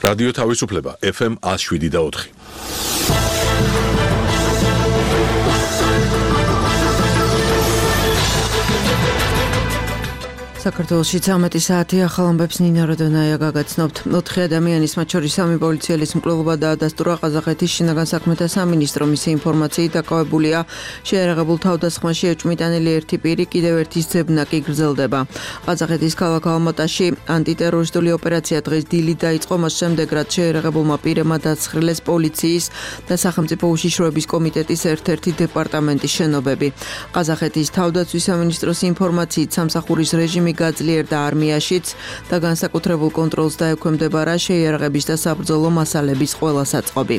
რადიო თავისუფლება FM 107.4. საქართველოში 13 საათი ახალ ამბებს ნინა როდონაია გაგაცნობთ. 4 ადამიანის, მათ შორის 3 პოლიციელის მკვლელობა დაადასტურა ყაზახეთის შინაგან საქმეთა სამინისტრო. მისი ინფორმაციით დაკავებულია შეიარაღებულ თავდასხმაში ეჭვმიტანილი ერთი პირი, კიდევ ერთის ძებნა კი გრძელდება. ყაზახეთის ქალაქ ალმატაში ანტიტერორისტული ოპერაცია დღეს დილით დაიწყო, მას შემდეგ რაც შეიარაღებულმა პირებმა დაცხრილეს პოლიციის და სახელმწიფო უშიშროების კომიტეტის ერთ-ერთი დეპარტამენტის შენობები. ყაზახეთის თავდაცვის სამინისტროს ინფორმაციით სამსახურის რეჟიმი გაძლიერდა არმიაშიც და განსაკუთრებულ კონტროლს დაექვემდებარა შეიარაღების და საბრძოლო მასალების ყველა საწყობი.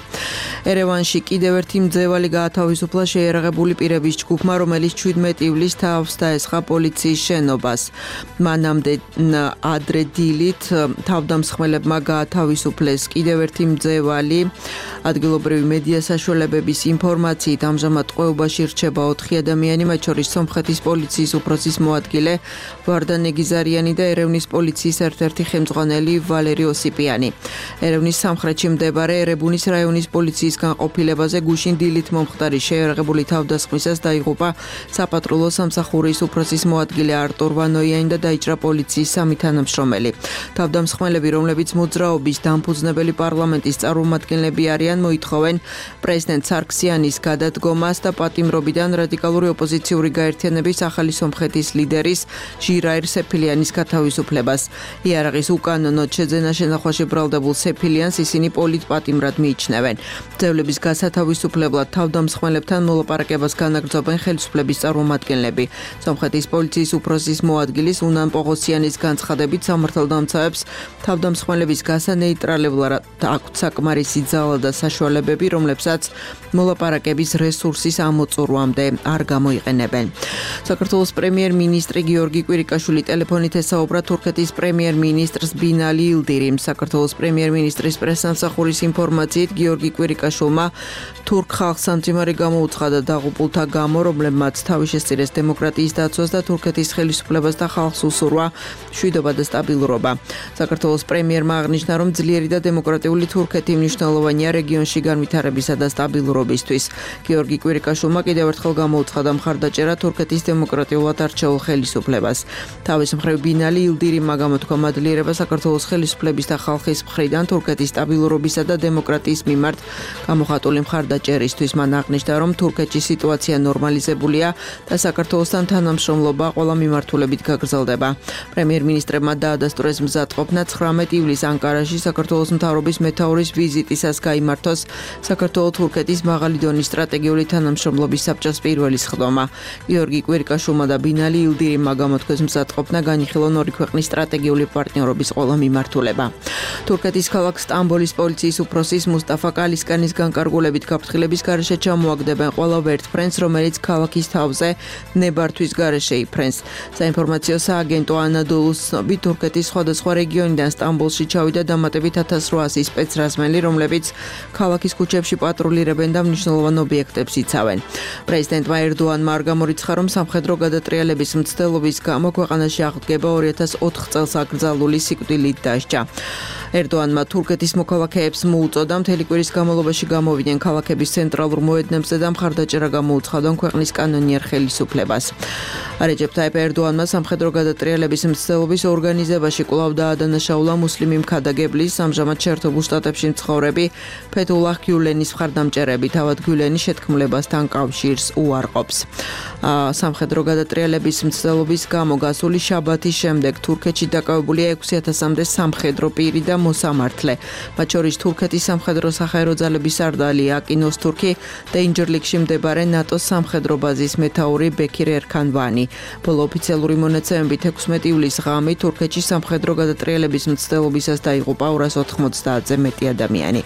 ერევანში კიდევ ერთი მძევალი გაათავისუფლა შეიარაღებული პირების ჯგუფმა, რომელიც 17 ივლისს თავს დაესხა პოლიციის შენობას. მანამდე ადრე დილით თავდამსხმელებმა გაათავისუფლეს კიდევ ერთი მძევალი. ადგილობრივი მედია საშუალებების ინფორმაციით ამჟამად ტყვეობაში რჩება 4 ადამიანი, მათ შორის სომხეთის პოლიციის უფროსის მოადგილე ვარდა ნეგიზარიანი და ერევნის პოლიციის ერთ-ერთი ხელმძღვანელი ვალერი ოსიპიანი. ერევნის სამხრეთში მდებარე ერებუნის რაიონის პოლიციის განყოფილებაზე გუშინ დილით მომხდარი შეიარაღებული თავდასხმისას დაიღუპა საპატრულო სამსახურის უფროსის მოადგილე არტურ ვანოიანი და დაიჭრა პოლიციის 3 თანამშრომელი. თავდამსხმელები, რომლებიც მოძრაობის დამფუძნებელი პარლამენტის წარმომადგენლები არიან, მოითხოვენ პრეზიდენტ სარქსიანის გადადგომას და პატიმრობიდან რადიკალური ოპოზიციური გაერთიანების ახალი სომხეთის ლიდერის ჟირაირ სეფილიანის გათავისუფლებას. იარაღის უკანონოდ შეძენა შენახვაში ბრალდებულ სეფილიანს ისინი პოლიტპატიმრად მიიჩნევენ. მძევლების გასათავისუფლებლად თავდამსხმელებთან მოლაპარაკებას განაგრძობენ ხელისუფლების წარმომადგენლები. სომხეთის პოლიციის უფროსის მოადგილის უნან პოღოსიანის განცხადებით სამართალდამცავებს თავდამსხმელების გასანეიტრალებლად აქვთ საკმარისი ძალა და საშუალებები, რომლებსაც მოლაპარაკების რესურსის ამოწურვამდე არ გამოიყენებენ. საქართველოს პრემიერ-მინისტრი გიორგი კვირიკაშვილი ტელეფონით ესაუბრა თურქეთის პრემიერ-მინისტრს ბინალი ილდირიმ. საქართველოს პრემიერ-მინისტრის პრესსამსახურის ინფორმაციით გიორგი კვირიკაშვილმა თურქ ხალხს სამძიმარი გამოუცხადა დაღუპულთა გამო, რომლებმაც თავი შესწირეს დემოკრატიის დაცვას და თურქეთის ხელისუფლებას და ხალხს უსურვა მშვიდობა და სტაბილურობა. საქართველოს პრემიერმა აღნიშნა, რომ ძლიერი და დემოკრატიული თურქეთი მნიშვნელოვანია რეგიონში განვითარებისა და სტაბილურობისთვის. გიორგი კვირიკაშვილმა კიდევ ერთხელ გამოუცხადა მხარდაჭერა თურქეთის დემოკრატიულად არჩეულ ხელისუფლებას. თავის მხრივ ბინალი ილდირიმმა გამოთქვა მადლიერება საქართველოს ხელისუფლების და ხალხის მხრიდან თურქეთის სტაბილურობისა და დემოკრატიის მიმართ გამოხატული მხარდაჭერისთვის. მან აღნიშნა, რომ თურქეთში სიტუაცია ნორმალიზებულია და საქართველოსთან თანამშრომლობა ყველა მიმართულებით გაგრძელდება. პრემიერ-მინისტრებმა დაადასტურეს მზადყოფნა 19 ივლისს ანკარაში საქართველოს მთავრობის მეთაურის ვიზიტისას გაიმართოს საქართველო-თურქეთის მაღალი დონის სტრატეგიული თანამშრომლობის საბჭოს პირველი სხდომა. გიორგი კვირიკაშვილმა და ბინალი ილდირიმმა გამოთქვეს მზადყოფნა განიხილონ ორი ქვეყნის სტრატეგიული პარტნიორობის ყველა მიმართულება. თურქეთის ქალაქ სტამბოლის პოლიციის უფროსის მუსტაფა კალისკანის განკარგულებით გაფრთხილების გარეშე ჩამოაგდებენ ყველა ვერტფრენს, რომელიც ქალაქის თავზე ნებართვის გარეშე იფრენს. საინფორმაციო სააგენტო ანადოლუს ცნობით, თურქეთის სხვადასხვა რეგიონიდან სტამბოლში ჩავიდა დამატებით 1800 სპეცრაზმელი, რომლებიც ქალაქის ქუჩებში პატრულირებენ და მნიშვნელოვან ობიექტებს იცავენ. პრეზიდენტმა ერდოანმა არ გამორიცხა, რომ სამხედრო გადატრიალების მცდელობის გამო ქვეყანაში აღდგება 2004 წელს აკრძალული სიკვდილით დასჯა. ერდოანმა თურქეთის მოქალაქეებს მოუწოდა მთელი კვირის განმავლობაში გამოვიდნენ ქალაქების ცენტრალურ მოედნებზე და მხარდაჭერა გამოუცხადონ ქვეყნის კანონიერ ხელისუფლებას. რეჯეპ ტაიპ ერდოანმა სამხედრო გადატრიალების მცდელობის ორგანიზებაში კვლავ დაადანაშაულა მუსლიმი მქადაგებლის, ამჟამად შეერთებულ შტატებში მცხოვრები ფეთულაჰ გიულენის მხარდამჭერები. თავად გიულენი შეთქმულებასთან კავშირს უარყოფს. სამხედრო გადატრიალების მცდელობის გამო გასული შაბათის შემდეგ თურქეთში დაკავებულია 6000-მდე სამხედრო პირი და მოსამართლე. მათ შორის თურქეთის სამხედრო საჰაერო ძალების სარდალი აკინ ოზთურქი და ინჯერლიქში მდებარე ნატოს სამხედრო ბაზის მეთაური ბექირ ერქანვანი. ბოლო ოფიციალური მონაცემებით 16 ივლისს ღამით თურქეთში სამხედრო გადატრიალების მცდელობისას დაიღუპა 290-ზე მეტი ადამიანი.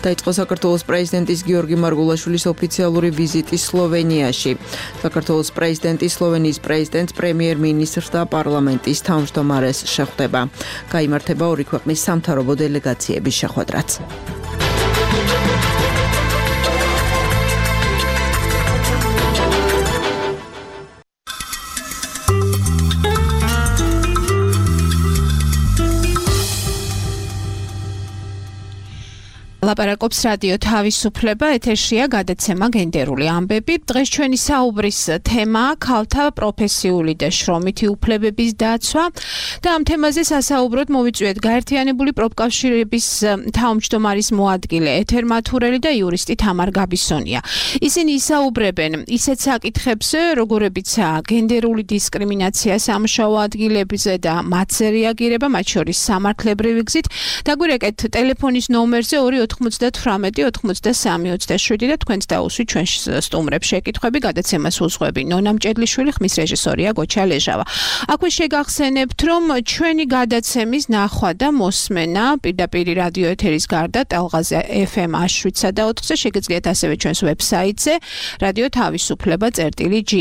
დაიწყო საქართველოს პრეზიდენტის გიორგი მარგულაშვილის ოფიციალური ვიზიტი სლოვენიაში. საქართველოს პრეზიდენტი სლოვენიის პრეზიდენტს, პრემიერ-მინისტრს და პარლამენტის თავმჯდომარეს შეხვდება. გაიმართება ორი ქვეყნის სამთავრობო დელეგაციების შეხვედრაც. ლაპარაკობს რადიო თავისუფლება, ეთერშია გადაცემა გენდერული ამბები. დღეს ჩვენი საუბრის თემაა ქალთა პროფესიული და შრომითი უფლებების დაცვა და ამ თემაზე სასაუბროდ მოვიწვიეთ გაერთიანებული პროფკავშირების თავმჯდომარის მოადგილე ეთერმათურელი და იურისტი თამარ გაბისონია. ისინი ისაუბრებენ ისეთ საკითხებზე, როგორებიცაა გენდერული დისკრიმინაცია სამუშაო ადგილებზე და მათზე რეაგირება, მათ შორის სამართლებრივი გზით. დაგვირეკეთ ტელეფონის ნომერზე 298-93-27 და თქვენც დაუსვით ჩვენ სტუმრებს შეკითხვები, გადაცემას უძღვები ნონა მჭედლიშვილი, ხმის რეჟისორია გოჩა ლეჟავა. აქვე შეგახსენებთ, რომ ჩვენი გადაცემის ნახვა და მოსმენა პირდაპირ რადიო ეთერის გარდა ტალღაზე FM 107.4-ზე შეგიძლიათ ასევე ჩვენს ვებსაიტზე რადიო თავისუფლება.g.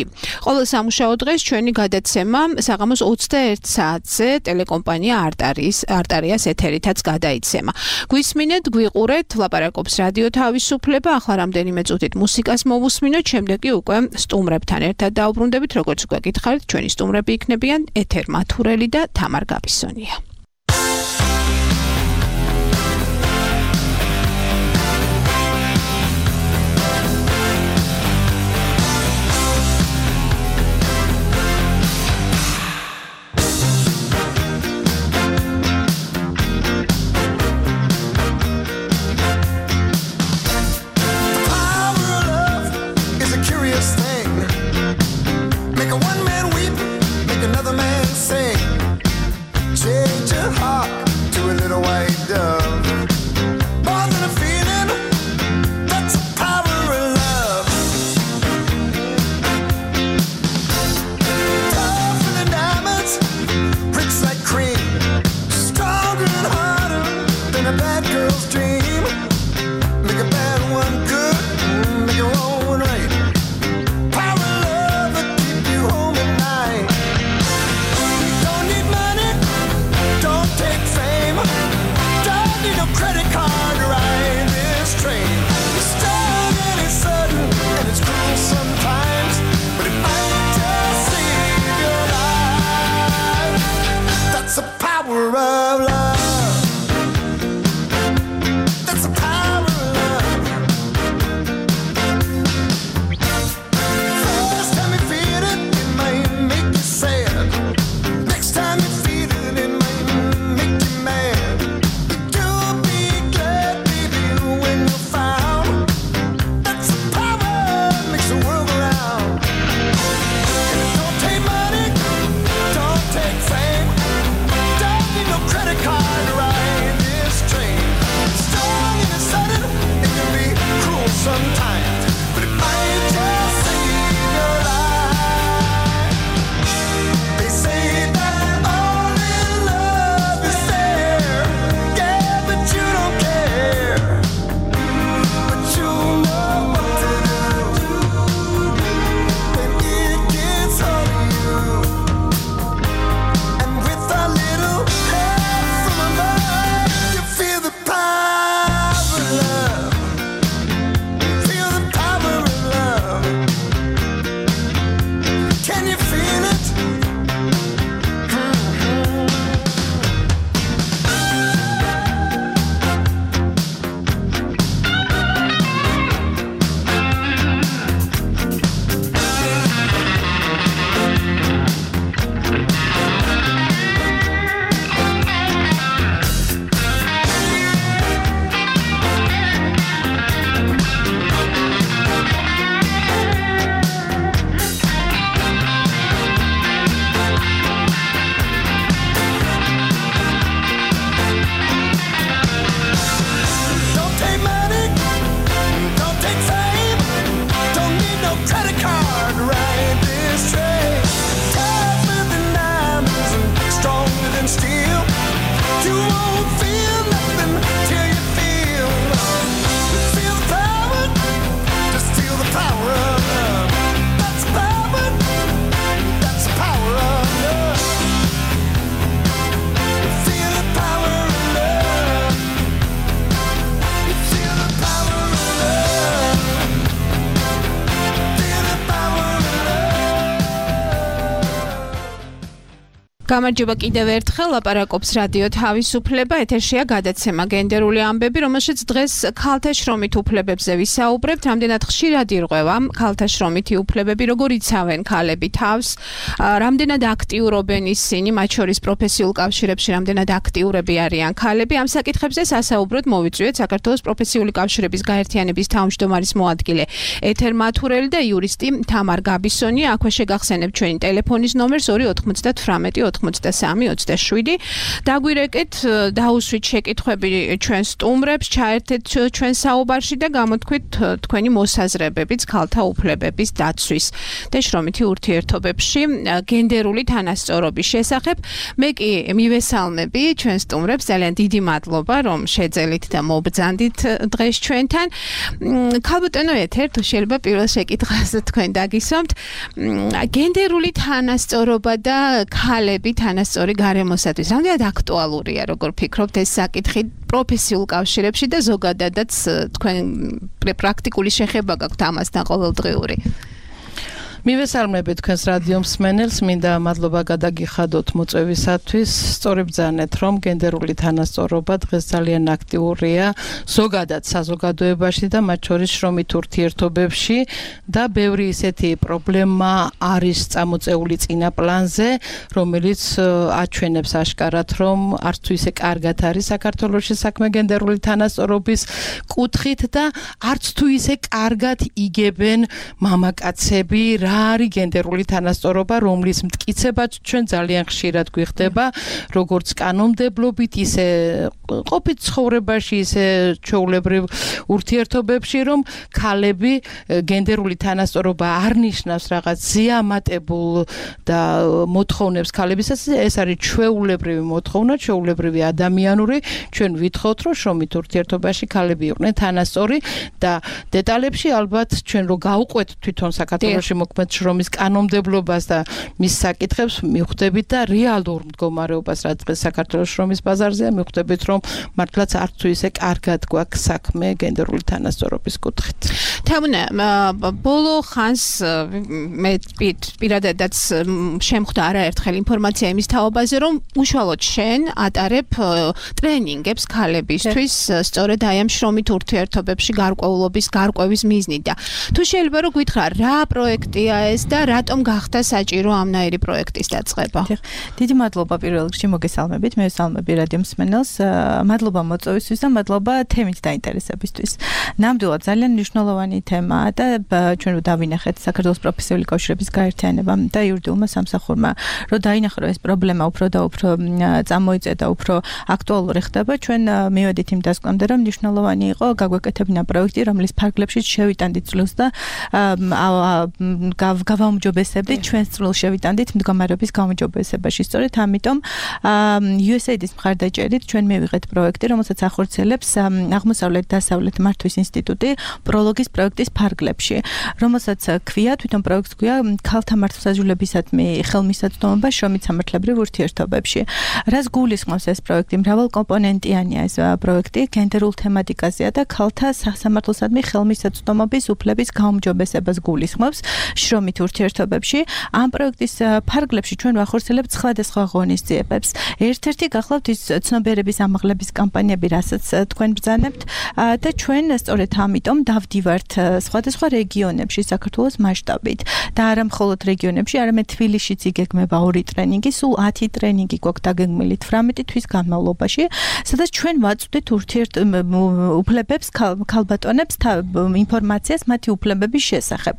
ყოველ სამუშაო დღეს ჩვენი გადაცემა საღამოს 21 საათზე ტელეკომპანია არტარიას ეთერითაც გადაიცემა. გვისმინეთ, გვიყურეთ, ლაპარაკობს რადიო თავისუფლება, ახლა რამდენიმე წუთით მუსიკას მოვუსმინოთ, შემდეგ კი უკვე სტუმრებთან ერთად დაუბრუნდებით, როგორც უკვე გითხარით, ჩვენი სტუმრები იქნებიან ეთერმათურელი და თამარ გაბისონია. Make a one man weep, make another man sing. Change გამარჯობა კიდევ ერთხელ ლაპარაკობს რადიო თავისუფლება ეთერშია გადაცემა გენდერული ამბები რომელშიც დღეს ქალთა შრომით უფლებებზე ვისაუბრებთ რამდენად ხშირად ირღვევა ქალთა შრომითი უფლებები როგორ იცავენ ქალები თავს რამდენად აქტიურობენ ისინი მათ შორის პროფესიულ კავშირებში რამდენად აქტიურები არიან ქალები ამ საკითხებზე სასაუბროდ მოვიწვიეთ საქართველოს პროფესიული კავშირების გაერთიანების თავმჯდომარის მოადგილე ეთერ მათურელი და იურისტი თამარ გაბისონი აქვე შეგახსენებთ ჩვენი ტელეფონის ნომერს 298 23-27 დაგვირეკეთ დაუსვით შეკითხვები ჩვენ სტუმრებს ჩაერთეთ ჩვენ საუბარში და გამოთქვით თქვენი მოსაზრებებიც ქალთა უფლებების დაცვის და შრომითი ურთიერთობებში გენდერული თანასწორობის შესახებ მე კი მივესალმები ჩვენ სტუმრებს ძალიან დიდი მადლობა რომ შეძელით და მობრძანდით დღეს ჩვენთან ქალბატონო ეთერ თუ შეიძლება პირველ შეკითხვაზე თქვენ დაგისვამთ გენდერული თანასწორობა და ქალები თანასწორი გარემოსათვის რამდენად აქტუალურია როგორ ფიქრობთ ეს საკითხი პროფესიულ კავშირებში და ზოგადადაც თქვენ პრაქტიკული შეხება გაქვთ ამასთან ყოველდღიური მივესალმებით თქვენს რადიო მსმენელს, მინდა მადლობა გადაგიხადოთ მოწვევისათვის. სწორედ ბრძანეთ, რომ გენდერული თანასწორობა დღეს ძალიან აქტიურია ზოგადად საზოგადოებაში და მათ შორის შრომით ურთიერთობებში და ბევრი ისეთი პრობლემა არის წამოწეული წინა პლანზე, რომელიც აჩვენებს აშკარად, რომ არც თუ ისე კარგად არის საქართველოში საქმე გენდერული თანასწორობის კუთხით და არც თუ ისე კარგად იგებენ მამაკაცები არის გენდერული თანასწორობა, რომლის მტკიცებაც ჩვენ ძალიან ხშირად გვიხდება, როგორც კანონმდებლობით, ისე ყოფით ცხოვრებაში, ისე ჩვეულებრივ ურთიერთობებში, რომ ქალები გენდერული თანასწორობა არ ნიშნავს რაღაც ზიამატებულ და მოთხოვნებს ქალებისას, ეს არის ჩვეულებრივი მოთხოვნა, ჩვეულებრივი ადამიანური, ჩვენ ვითხოვთ, რომ შრომით ურთიერთობაში ქალები იყვნენ თანასწორი და დეტალებში ალბათ ჩვენ რო გავყვეთ თვითონ საქართველოში მოქმედ შრომის კანონმდებლობას და მის საკითხებს მივხვდებით და რეალურ მდგომარეობას რაც დღეს საქართველოს შრომის ბაზარზეა მივხვდებით რომ მართლაც არც თუ ისე კარგად გვაქვს საქმე გენდერული თანასწორობის კუთხით. თამუნა ბოლო ხანს მე პირადადაც შემხვდა არაერთხელ ინფორმაცია იმის თაობაზე რომ უშუალოდ შენ ატარებ ტრენინგებს ქალებისთვის სწორედ აი ამ შრომით ურთიერთობებში გარკვეულობის გარკვევის მიზნით და თუ შეიძლება რომ გითხრა რა პროექტია ეს და რატომ გახდა საჭირო ამნაირი პროექტის დაწყება? დიდი მადლობა პირველ რიგში მოგესალმებით, მე ვესალმები რადიო მსმენელს, მადლობა მოწვევისთვის და მადლობა თემით დაინტერესებისთვის. ნამდვილად ძალიან მნიშვნელოვანი თემაა და ჩვენ დავინახეთ საქართველოს პროფესიული კავშირების გაერთიანებამ და იურიდიულმა სამსახურმა, რომ დაინახა ეს პრობლემა უფრო და უფრო წამოიწედა, უფრო აქტუალური ხდება. ჩვენ მივედით იმ დასკვნამდე, რომ მნიშვნელოვანი იყო გაგვეკეთებინა პროექტი, რომლის ფარგლებში შევიტანდით წვლილს და გავაუმჯობესებდით ჩვენს წვლილს შევიტანდით მდგომარეობის გაუმჯობესებაში. სწორედ ამიტომ USAID-ის მხარდაჭერით ჩვენ მივიღეთ პროექტი, რომელსაც ახორციელებს აღმოსავლეთ-დასავლეთ მართვის ინსტიტუტი პროლოგის პროექტის ფარგლებში, რომელსაც ქვია თვითონ პროექტს ქვია ქალთა მართლმსაჯულებისადმი ხელმისაწვდომობა შრომით სამართლებრივ ურთიერთობებში. რას გულისხმობს ეს პროექტი? მრავალკომპონენტიანია ეს პროექტი, გენდერულ თემატიკაზეა და ქალთა სამართლოსადმი ხელმისაწვდომობის უფლების გაუმჯობესებას გულისხმობს. შრომით ურთიერთობებში ამ პროექტის ფარგლებში ჩვენ ვახორციელებთ სხვადასხვა ღონისძიებებს. ერთ-ერთი გახლავთ ის ცნობიერების ამაღლების კამპანიები, რასაც თქვენ ბრძანებთ და ჩვენ სწორედ ამიტომ დავდივართ სხვადასხვა რეგიონებში საქართველოს მასშტაბით და არა მხოლოდ რეგიონებში, არამედ თბილისშიც იგეგმება 2 ტრენინგი, სულ 10 ტრენინგი გვაქვს დაგეგმილი 18 თვის განმავლობაში, სადაც ჩვენ ვაწვდით უფლებებს ქალბატონებს ინფორმაციას მათი უფლებების შესახებ.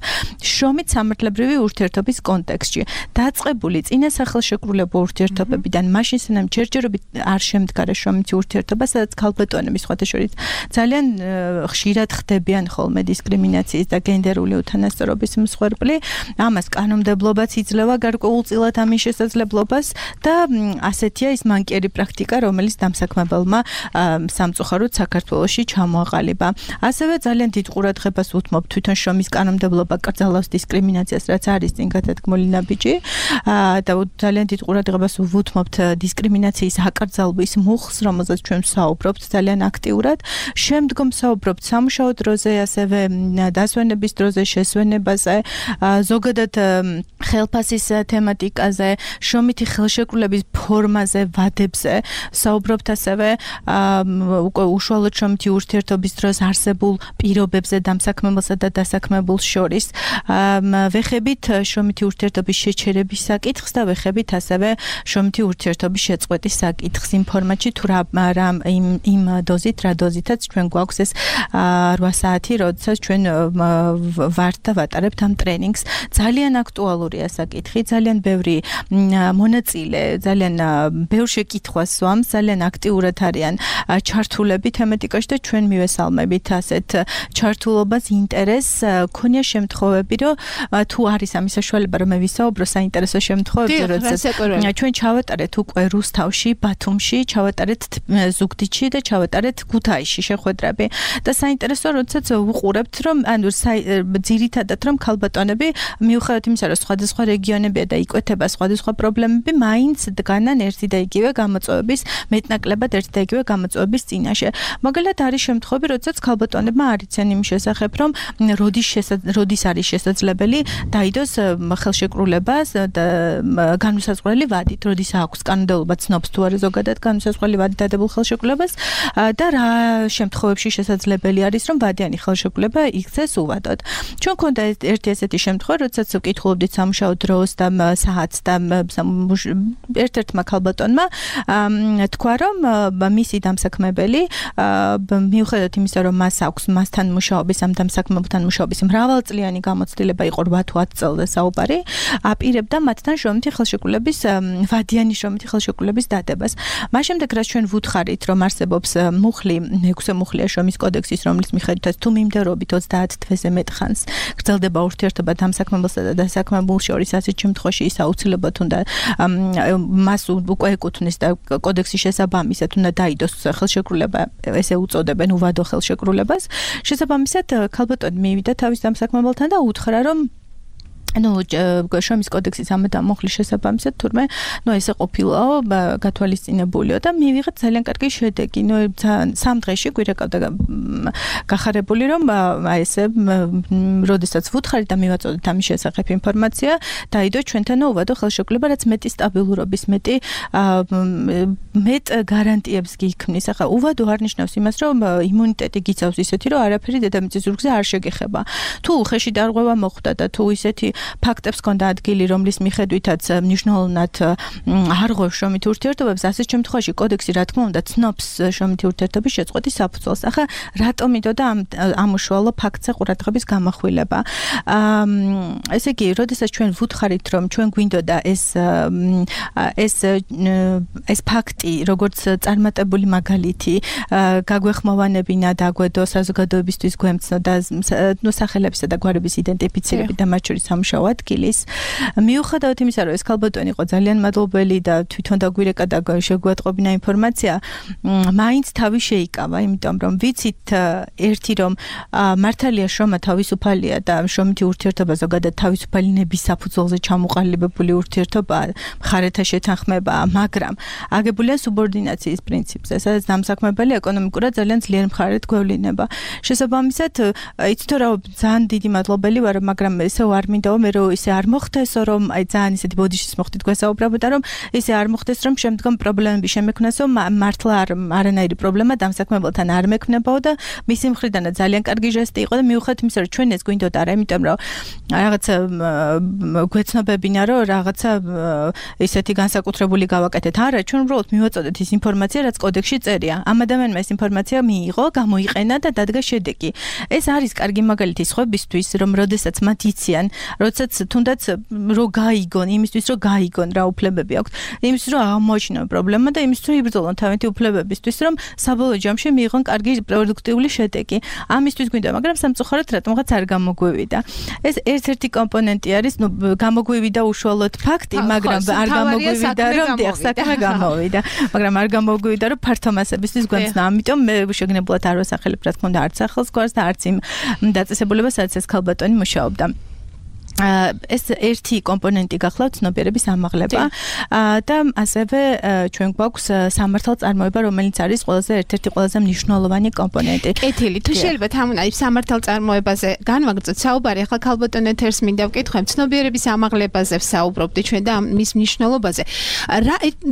შრომით სამართლებრივი ურთიერთობის კონტექსტში დაწყებული წინა სახელშეკრულებო ურთიერთობებიდან მაშინ სანამ ჯერჯერობით არ შემდგარა შრომითი ურთიერთობა, სადაც ქალბატონები სხვათა შორის ძალიან ხშირად ხდებიან ხოლმე დისკრიმინაციის და გენდერული უთანასწორობის მსხვერპლი, ამას კანონმდებლობაც იძლევა გარკვეულწილად ამის შესაძლებლობას და ასეთია ის მანკიერი პრაქტიკა, რომელიც დამსაქმებელმა სამწუხაროდ საქართველოში ჩამოაყალიბა. ასევე ძალიან დიდ ყურადღებას უთმობ თვითონ შრომის კანონმდებლობა კრძალავს დისკრიმინაციას, რაც არის წინ გადადგმული ნაბიჯი და ძალიან დიდ ყურადღებას ვუთმობთ დისკრიმინაციის აკრძალვის მუხლს, რომელზეც ჩვენ ვსაუბრობთ ძალიან აქტიურად. შემდგომ ვსაუბრობთ სამუშაო დროზე, ასევე დასვენების დროზე, შესვენებაზე, ზოგადად ხელფასის თემატიკაზე, შრომითი ხელშეკრულების ფორმაზე, ვადებზე, საუბრობთ ასევე უკვე უშუალოდ შრომითი ურთიერთობის დროს არსებულ პირობებზე დამსაქმებელსა და დასაქმებულს შორის. ვეხებით შრომითი ურთიერთობის შეჩერების საკითხს და ვეხებით ასევე შრომითი ურთიერთობის შეწყვეტის საკითხს იმ ფორმატში თუ რა იმ დოზით, რა დოზითაც ჩვენ გვაქვს ეს 8 საათი, როდესაც ჩვენ ვართ და ვატარებთ ამ ტრენინგს. ძალიან აქტუალურია საკითხი, ძალიან ბევრი მონაწილე, ძალიან ბევრ შეკითხვას სვამს, ძალიან აქტიურად არიან ჩართულები თემატიკაში და ჩვენ მივესალმებით ასეთ ჩართულობას, ინტერესს. ქონია შემთხვევები, რომ თუ არის ამის საშუალება, რომ მე ვისაუბრო საინტერესო შემთხვევებზე, როდესაც ჩვენ ჩავატარეთ უკვე რუსთავში, ბათუმში, ჩავატარეთ ზუგდიდში და ჩავატარეთ ქუთაისში შეხვედრები. და საინტერესო, როდესაც ვუყურებთ, რომ ანუ ძირითადად რომ ქალბატონები მიუხედავად იმისა, რომ სხვადასხვა რეგიონებია და იკვეთება სხვადასხვა პრობლემები, მაინც დგანან ერთი და იგივე გამოწვევების, მეტნაკლებად ერთი და იგივე გამოწვევების წინაშე. მაგალითად არის შემთხვევები, როდესაც ქალბატონებმა არ იციან იმის შესახებ, რომ როდის არის შესაძლებელი დაიდოს ხელშეკრულებას და განუსაზღვრელი ვადით, როდის აქვს კანონმდებლობა ცნობს თუ არა ზოგადად განუსაზღვრელი ვადით დადებულ ხელშეკრულებას და რა შემთხვევებში შესაძლებელი არის, რომ ვადიანი ხელშეკრულება იქცეს უვადოდ. ჩვენ გვქონდა ერთი ესეთი შემთხვევა, როდესაც ვკითხულობდით სამუშაო დროს და საათს და ერთ-ერთმა ქალბატონმა თქვა, რომ მისი დამსაქმებელი მიუხედავად იმისა, რომ მას აქვს მასთან მუშაობის, ამ დამსაქმებელთან მუშაობის მრავალწლიანი გამოცდილება იყო 8-10 წელზე საუბარი, აპირებდა მათთან შრომითი ხელშეკრულების ვადიანი შრომითი ხელშეკრულების დადებას. მას შემდეგ რაც ჩვენ ვუთხარით, რომ არსებობს მუხლი, 6 მუხლია შრომის კოდექსის, რომლის მიხედვითაც თუ მიმდევრობით 30 თვეზე მეტ ხანს გრძელდება ურთიერთობა დამსაქმებელსა და დასაქმებულს შორის, ასეთ შემთხვევაში ის აუცილებლად უნდა მას უკვე ეკუთვნის და კოდექსის შესაბამისად უნდა დაიდოს ხელშეკრულება, ესე უწოდებენ უვადო ხელშეკრულებას. შესაბამისად ქალბატონი მივიდა თავის დამსაქმებელთან და უთხრა, რომ შრომის კოდექსის ამ მუხლის შესაბამისად თურმე ესე ყოფილაო გათვალისწინებულიო და მივიღეთ ძალიან კარგი შედეგი. სამ დღეში გვირეკავდა გახარებული, რომ ესე როდესაც ვუთხარით და მივაწოდეთ ამის შესახებ ინფორმაცია, დაიდო ჩვენთან უვადო ხელშეკრულება, რაც მეტი სტაბილურობის, მეტ გარანტიებს გიქმნის. ახლა უვადო არ ნიშნავს იმას, რომ იმუნიტეტი გიცავს ისეთი, რომ არაფერი დედამიწის ზურგზე არ შეგეხება. თუ ხეში დარღვევა მოხდა და თუ ისეთი ფაქტებს ჰქონდა ადგილი, რომლის მიხედვითაც მნიშვნელოვნად არ ღვევს შრომითი ურთიერთობებს, ასეთ შემთხვევაში კოდექსი რა თქმა უნდა ცნობს შრომითი ურთიერთობის შეწყვეტის საფუძველს. ახლა რატომ იდოდა ამ უშუალო ფაქტზე ყურადღების გამახვილება? ესე იგი, როდესაც ჩვენ ვუთხარით, რომ ჩვენ გვინდოდა ეს ფაქტი, როგორც წარმატებული მაგალითი, გაგვეხმოვანებინა და აგვედო საზოგადოებისთვის გვემცნო და სახელებისა და გვარების იდენტიფიცირებით და მათ შორის სამუშაო ადგილის. მიუხედავად იმისა, რომ ეს ქალბატონი იყო ძალიან მადლობელი და თვითონ დაგვირეკა და შეგვატყობინა ინფორმაცია, მაინც თავი შეიკავა, იმიტომ რომ ვიცით ერთი, რომ მართალია შრომა თავისუფალია და შრომითი ურთიერთობა ზოგადად თავისუფალინების საფუძველზე ჩამოყალიბებული ურთიერთობაა, მხარეთა შეთანხმებაა, მაგრამ აგებულია სუბორდინაციის პრინციპზე, სადაც დამსაქმებელი ეკონომიკურად ძალიან ძლიერ მხარედ გვევლინება. შესაბამისად, იცით რა, ძალიან დიდი მადლობელი ვარ, მაგრამ ესე არ მინდაო მე რომ ისე არ მოხდესო, რომ ძალიან ისეთი ბოდიშის მოხდით გვესაუბრებოდა, რომ ისე არ მოხდეს, რომ შემდგომ პრობლემები შემექმნასო, მართლა არანაირი პრობლემა დამსაქმებელთან არ მექმნებაო და მისი მხრიდანაც ძალიან კარგი ჟესტი იყო და მიუხედავად იმისა, რომ ჩვენ ეს გვინდოდა არა, იმიტომ რომ რაღაცა გვეცნობებინა, რომ რაღაცა ისეთი განსაკუთრებული გავაკეთეთ. არა, ჩვენ უბრალოდ მივაწოდეთ ის ინფორმაცია, რაც კოდექსში წერია. ამ ადამიანმა ეს ინფორმაცია მიიღო, გამოიყენა და დადგა შედეგი. ეს არის კარგი მაგალითი სხვებისთვის, რომ როდესაც მათ იციან, როდესაც თუნდაც რო გაიგონ, იმისთვის რომ გაიგონ რა უფლებები აქვთ, იმისთვის რომ აღმოაჩინონ პრობლემა და იმისთვის რომ იბრძოლონ თავიანთი უფლებებისთვის, რომ საბოლოო ჯამში მიიღონ კარგი პროდუქტიული შედეგი. ამისთვის გვინდა, მაგრამ სამწუხაროდ რატომღაც არ გამოგვივიდა. ეს ერთ-ერთი კომპონენტი არის, გამოგვივიდა უშუალოდ ფაქტი, მაგრამ არ გამოგვივიდა, რომ საქმე გამოვიდა, მაგრამ არ გამოგვივიდა, რომ ფართო მასებისთვის გვემცნა. ამიტომ მე შეგნებულად არ ვასახელებ, რა თქმა უნდა, არც სახელს გვარს და არც იმ დაწესებულებას, სადაც ეს ქალბატონი მუშაობდა. ეს ერთი კომპონენტი გახლავთ ცნობიერების ამაღლება და ასევე ჩვენ გვაქვს სამართალწარმოება, რომელიც არის ერთ-ერთი ყველაზე მნიშვნელოვანი კომპონენტი. კეთილი, თუ შეიძლება თამუნაი სამართალწარმოებაზე განვაგრძოთ საუბარი, ახლა ქალბატონ ეთერს მინდა ვკითხო, ცნობიერების ამაღლებაზე ვსაუბრობდი ჩვენ და მის მნიშვნელობაზე.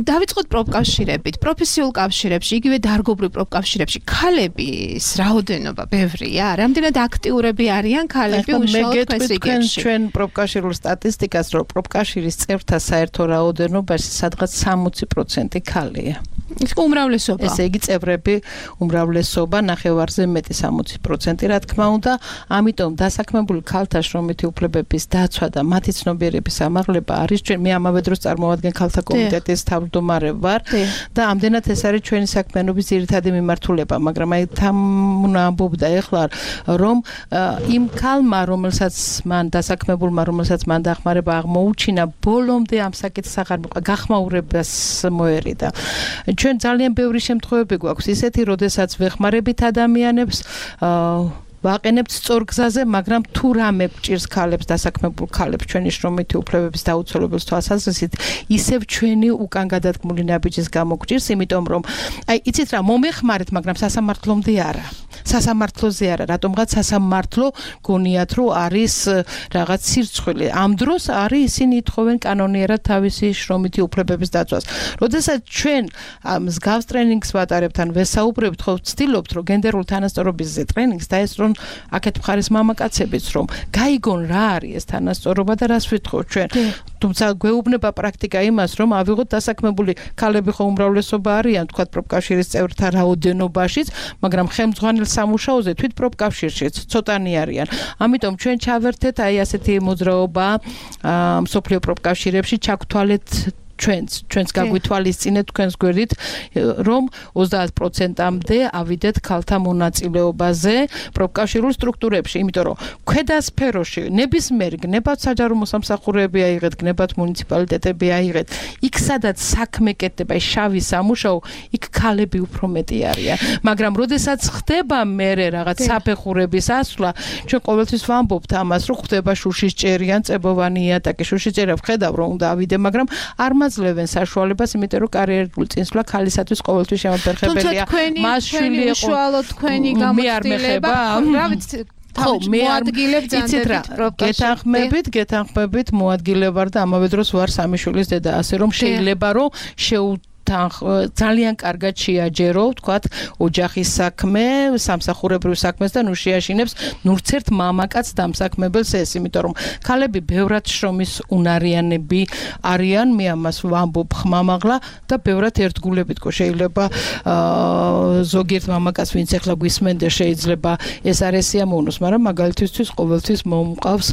დავიწყოთ პროფკავშირებით, პროფესიულ კავშირებში, იგივე დარგობრივ პროფკავშირებში, ქალების რაოდენობა ბევრია, რამდენად აქტიურები არიან ქალები უშუალოდ პრესიგებში. ჩვენ პროფკავშირულ სტატისტიკას, რომ პროფკავშირის წევრთა საერთო რაოდენობაში სადღაც 60% ქალია. უმრავლესობა. ესე იგი წევრები უმრავლესობა, ნახევარზე მეტი 60%, რა თქმა უნდა, ამიტომ დასაქმებული ქალთა შრომითი უფლებების დაცვა და მათი ცნობიერების ამაღლება არის ჩვენ მე ამავე დროს წარმოვადგენ ქალთა კომიტეტის თავმჯდომარე ვარ და ამდენად ეს არის ჩვენი საქმიანობის ძირითადი მიმართულება, მაგრამ აი თამუნა ამბობდა ეხლა რომ იმ ქალმა, რომელსაც მან დასაქმებულმა, რომელსაც მან დახმარება აღმოუჩინა, ბოლომდე ამ საკითხს აღარ მიყვა, გახმაურებას მოერიდა. ჩვენ ძალიან ბევრი შემთხვევები გვაქვს ისეთი, როდესაც ვეხმარებით ადამიანებს ვაყენებთ სწორ გზაზე, მაგრამ თუ რამე გჭირს ქალებს, დასაქმებულ ქალებს ჩვენი შრომითი უფლებების დაუცველობის თვალსაზრისით, ისევ ჩვენი უკან გადადგმული ნაბიჯის გამო გჭირს, იმიტომ რომ აი იცით რა, მომეხმარეთ, მაგრამ სასამართლომდე არა. სასამართლოზე არა, რატომღაც სასამართლო გონიათ, რომ არის რაღაც სირცხვილი. ამ დროს არის ისინი ითხოვენ კანონიერად თავისი შრომითი უფლებების დაცვას. როდესაც ჩვენ მსგავს ტრენინგს ვატარებთ, ან ვესაუბრებთ, ხო ვცდილობთ, რომ გენდერული თანასწორობის ტრენინგს დაესწრონ აქეთ მხარის მამაკაცებიც, რომ გაიგონ რა არის ეს თანასწორობა და რას ვითხოვთ ჩვენ. თუმცა გვეუბნება პრაქტიკა იმას, რომ ავიღოთ დასაქმებული ქალები ხო უმრავლესობა არიან, თქვათ პროფკავშირის წევრთა რაოდენობაშიც, მაგრამ ხელმძღვანელ სამუშაოზე თვით პროფკავშირშიც ცოტანი არიან. ამიტომ ჩვენ ჩავერთეთ აი ასეთი მოძრაობა მსოფლიო პროფკავშირებში ჩაგთვალეთ ჩვენს გაგვითვალისწინეთ თქვენს გვერდით, რომ 30%-მდე ავიდეთ ქალთა მონაწილეობაზე პროფკავშირულ სტრუქტურებში, იმიტომ რომ ქვედა სფეროში ნებისმიერი გნებათ საჯარო მოსამსახურეები აიღეთ, გნებათ მუნიციპალიტეტები აიღეთ, იქ სადაც საქმე კეთდება, შავი სამუშაო, იქ ქალები უფრო მეტი არიან. მაგრამ როდესაც ხდება მერე რაღაც საფეხურების ასვლა, ჩვენ ყოველთვის ვამბობთ ამას, რომ ხდება შუშისჭერიან წებოვანი იატაკი, შუშისჭერა ვხედავ რომ უნდა ავიდე, მაგრამ არ მაძლევენ საშუალებას, იმიტომ რომ კარიერული წინსვლა ქალისათვის ყოველთვის შემაფერხებელია. მას შვილი უშუალოდ თქვენი გამოცდილება, რა ვიცი, ხო, მე გეთანხმებით მოადგილე ვარ და ამავე დროს ვარ სამი შვილის დედა, ასე რომ შეიძლება რომ ძალიან კარგად შეაჯერო, ვთქვათ, ოჯახის საქმე, სამსახურებრივ საქმეს და ნუ შეაშინებს ნურც ერთ მამაკაც დამსაქმებელს ეს, იმიტომ რომ ქალები ბევრად შრომის უნარიანები არიან, მე ამას ვამბობ ხმამაღლა და ბევრად ერთგულებით ყო შეიძლება ზოგიერთ მამაკაც ვინც ახლა გვისმენდა შეიძლება ეს არ ესიამოვნოს, მაგრამ მაგალითისთვის ყოველთვის მომყავს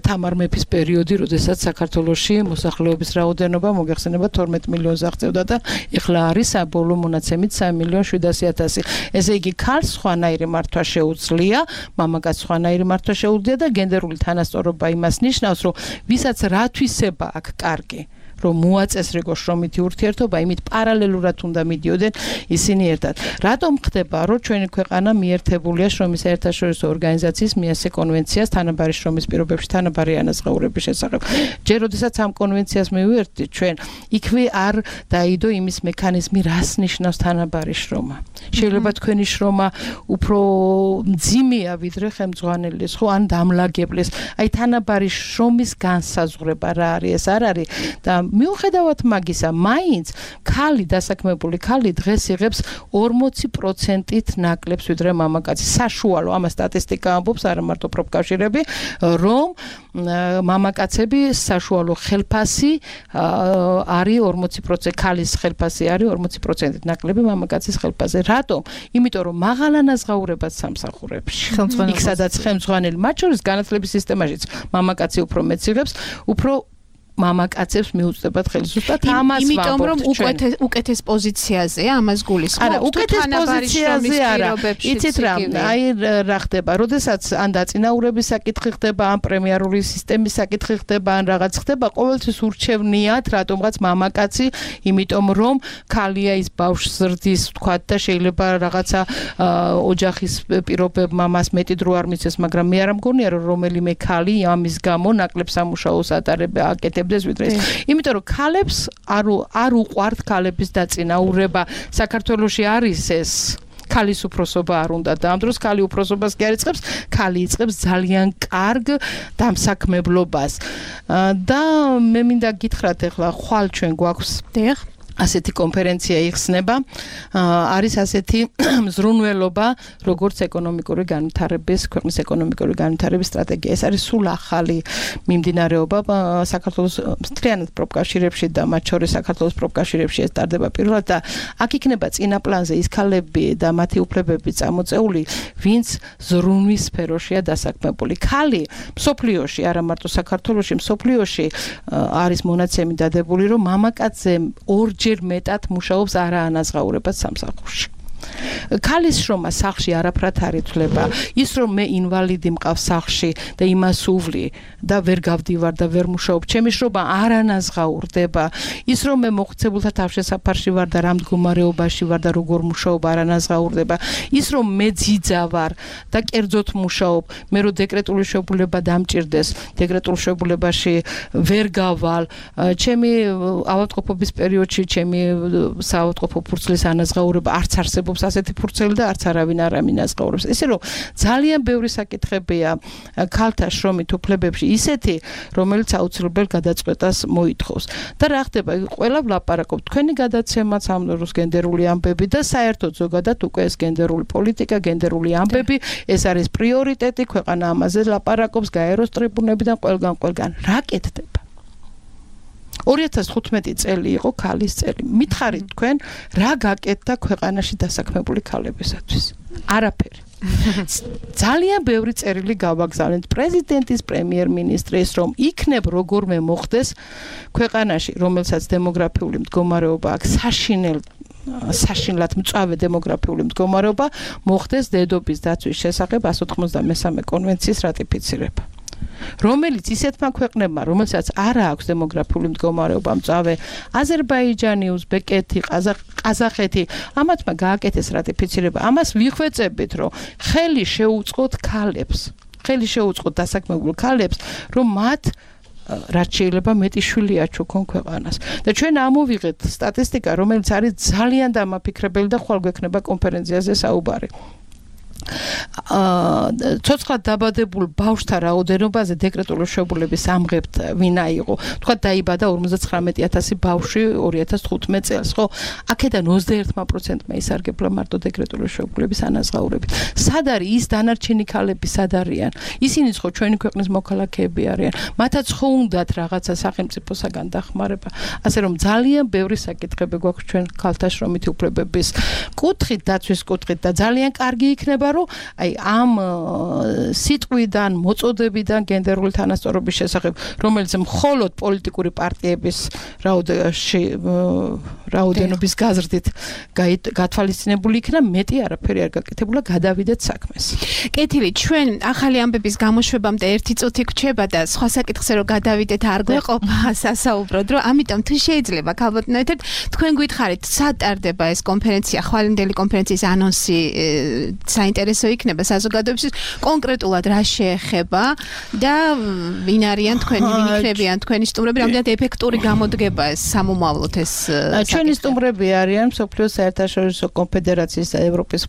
თამარ მეფის პერიოდი, როდესაც საქართველოში მოსახლეობის რაოდენობა მოგეხსენება 12 მილიონს აღწევდა და ეხლა არის საბოლოო მონაცემით 3,700,000. ესე იგი ქალს სხვანაირი მართვა შეუძლია, მამაკაც სხვანაირი მართვა შეუძლია და გენდერული თანასწორობა იმას ნიშნავს, რომ ვისაც რა თვისება აქვს კარგი, რომ მოაწესრიგო შრომითი ურთიერთობა, იმით პარალელურად უნდა მიდიოდნენ ისინი ერთად. რატომ ხდება, რომ ჩვენი ქვეყანა მიერთებულია შრომის საერთაშორისო ორგანიზაციის მიასე კონვენციას თანაბარი შრომის პირობებში თანაბარი ანაზღაურების შესახებ. ჯერ როდესაც ამ კონვენციას მივიერთდით, ჩვენ იქვე არ დაიდო იმის მექანიზმი, რას ნიშნავს თანაბარი შრომა. შეიძლება თქვენი შრომა უფრო მძიმეა ვიდრე ხელმძღვანელის, ხო, ან დამლაგებლის. აი თანაბარი შრომის განსაზღვრება რა არის, ეს არ არის და მიუხედავად მაგისა, მაინც ქალი დასაქმებული ქალი დღეს იღებს 40%-ით ნაკლებს ვიდრე მამაკაცი. საშუალო, ამას სტატისტიკა ამბობს, არა მარტო პროფკავშირები, რომ მამაკაცები საშუალო ხელფასი არის 40%, ქალის ხელფასი არის 40%-ით ნაკლები მამაკაცის ხელფასზე. რატომ? იმიტომ რომ მაღალ ანაზღაურებად სამსახურებში. იქ სადაც ხელმძღვანელი, მათ შორის განათლების სისტემაშიც მამაკაცი უფრო მეტს იღებს, უფრო მამაკაცებს მიუწვდებათ ხელი. ზუსტად ამას ვამბობთ. იმიტომ რომ უკეთეს პოზიციაზეა ამას გულისხმობთ. არა, უკეთეს პოზიციაზე არა. იცით რა, აი რა ხდება, როდესაც ან დაწინაურების საკითხი ხდება, ან პრემიარული სისტემის საკითხი ხდება, ან რაღაც ხდება, ყოველთვის ურჩევნიათ რატომღაც მამაკაცი, იმიტომ რომ ქალია ის ბავშვს ზრდის, თქვათ და შეიძლება რაღაცა ოჯახის პირობებმა მას მეტი დრო არ მიცეს, მაგრამ მე არ მგონია რომ რომელიმე ქალი ამის გამო ნაკლებ სამუშაოს აკეთებდეს ვიდრე ეს. იმიტომ რომ ქალებს არ უყვართ ქალების დაწინაურება. საქართველოში არის ეს ქალის უფროსობა არ უნდა და ამ დროს ქალი უფროსობას კი არ იწყებს, ქალი იწყებს ძალიან კარგ დამსაქმებლობას. და მე მინდა გითხრათ ახლა ხვალ ჩვენ გვაქვს ასეთი კონფერენცია იხსნება, არის ასეთი მზრუნველობა, როგორც ეკონომიკური განვითარების, ქვეყნის ეკონომიკური განვითარების სტრატეგია. ეს არის სულ ახალი მიმდინარეობა საქართველოს მთლიანად პროფკავშირებში და მათ შორის საქართველოს პროფკავშირებში ეს ტარდება პირველად და აქ იქნება წინა პლანზე ის ქალები და მათი უფლებები წამოწეული, ვინც ზრუნვის სფეროშია დასაქმებული. ქალი მსოფლიოში, არა მარტო საქართველოში, მსოფლიოში არის მონაცემი დადებული, რომ მამაკაცზე ჯერ მეტად მუშაობს არაანაზღაურებად სამსახურში. ქალის შრომა სახლში არაფრად არ ითვლება. ის რომ მე ინვალიდი მყავს სახლში და იმას უვლი და ვერ გავდივარ და ვერ მუშაობ, ჩემი შრომა არანაზღაურდება. ის რომ მე მოხუცებულთა თავშესაფარში ვარ და რა მდგომარეობაში ვარ და როგორ მუშაობ არანაზღაურდება. ის რომ მე ძიძა ვარ და კერძოდ მუშაობ, მე რო დეკრეტული შეუძლება დამჭირდეს, დეკრეტულ შეუძლებაში ვერ გავალ, ჩემი ავადმყოფობის პერიოდში ჩემი საავადმყოფო ფურცლის ანაზღაურება არც არსებობს ასეთი ფურცელი და არც არავინ არ ამინაზღაურებს. ესე რომ ძალიან ბევრი საკითხებია ქალთა შრომით უფლებებში ისეთი, რომელიც აუცილებლად გადაწყვეტას მოითხოვს. და რა ხდება, ყველა ვლაპარაკობთ, თქვენი გადაცემაც ამ დროს გენდერული ამბები და საერთოდ ზოგადად უკვე ეს გენდერული პოლიტიკა, გენდერული ამბები, ეს არის პრიორიტეტი, ქვეყანა ამაზე ლაპარაკობს, გაეროს ტრიბუნებიდან ყველგან. რა კეთდება? 2015 წელი იყო ქალის წელი. მითხარით თქვენ, რა გაკეთდა ქვეყანაში დასაქმებული ქალებისათვის? არაფერი. ძალიან ბევრი წერილი გავაგზავნეთ პრეზიდენტის, პრემიერ-მინისტრის, რომ იქნებ როგორმე მოხდეს ქვეყანაში, რომელსაც დემოგრაფიული მდგომარეობა აქვს საშინლად მწვავე დემოგრაფიული მდგომარეობა, მოხდეს დედობის დაცვის შესახებ 193 კონვენციის რატიფიცირება. რომელიც ისეთმა ქვეყნებმა, რომელსაც არ აქვს დემოგრაფიული მდგომარეობა მწვავე, აზერბაიჯანი, უზბეკეთი, ყაზახეთი, ამათმა გააკეთეს რატიფიცირება. ამას ვიხვეწებით, რომ ხელი შეუწყოთ ქალებს, ხელი შეუწყოთ დასაქმებულ ქალებს, რომ მათ რაც შეიძლება მეტი შვილი აჩუქონ ქვეყანას. და ჩვენ ამოვიღეთ სტატისტიკა, რომელიც არის ძალიან დამაფიქრებელი და ხვალ გვექნება კონფერენციაზე საუბარი. ცოცხლად დაბადებულ ბავშვთა რაოდენობაზე დეკრეტული შეუძლებლობის ამღებთ ვინა იყო. თქვა დაიბადა 59000 ბავშვი 2015 წელს, ხო? აქედან 21%-მა ისარგებლა მარტო დეკრეტული შეუძლებლობის ანაზღაურებით. სად არის ის დანარჩენი ქალები, სად არიან? ისინიც ხო ჩვენი ქვეყნის მოქალაქეები არიან. მათაც ხო უნდათ რაღაცა სახელმწიფოსაგან დახმარება. ასე რომ ძალიან ბევრი საკითხები გვაქვს ჩვენ ქალთა შრომითი უფლებების კუთხით, დაცვის კუთხით და ძალიან კარგი იქნება რომ აი ამ სიტყვიდან, მოწოდებიდან გენდერული თანასწორობის შესახებ, რომელიც მხოლოდ პოლიტიკური პარტიების რაოდენობის გაზრდით გათვალისწინებული იქნა, მეტი არაფერი არ გაკეთებულა, გადავიდეთ საქმეს. კეთილი, ჩვენ ახალი ამბების გამოშვებამდე 1 წუთი გვჩება და სხვა საკითხზე რომ გადავიდეთ არ გვეყოფა სასაუბროდ, რომ ამიტომ თუ შეიძლება ქალბატონო ეთერ თქვენ გითხარით, სად ტარდება ეს კონფერენცია, ხვალინდელი კონფერენციის ანონსი საინტერესო იქნება საზოგადოებისთვის, კონკრეტულად რა შეეხება და ვინ არიან თქვენი, ვინ იქნებიან თქვენი სტუმრები, რამდენად ეფექტური გამოდგება ეს სამომავლოდ ეს ჩვენი სტუმრები არიან მსოფლიოს საერთაშორისო კონფედერაციის და ევროპის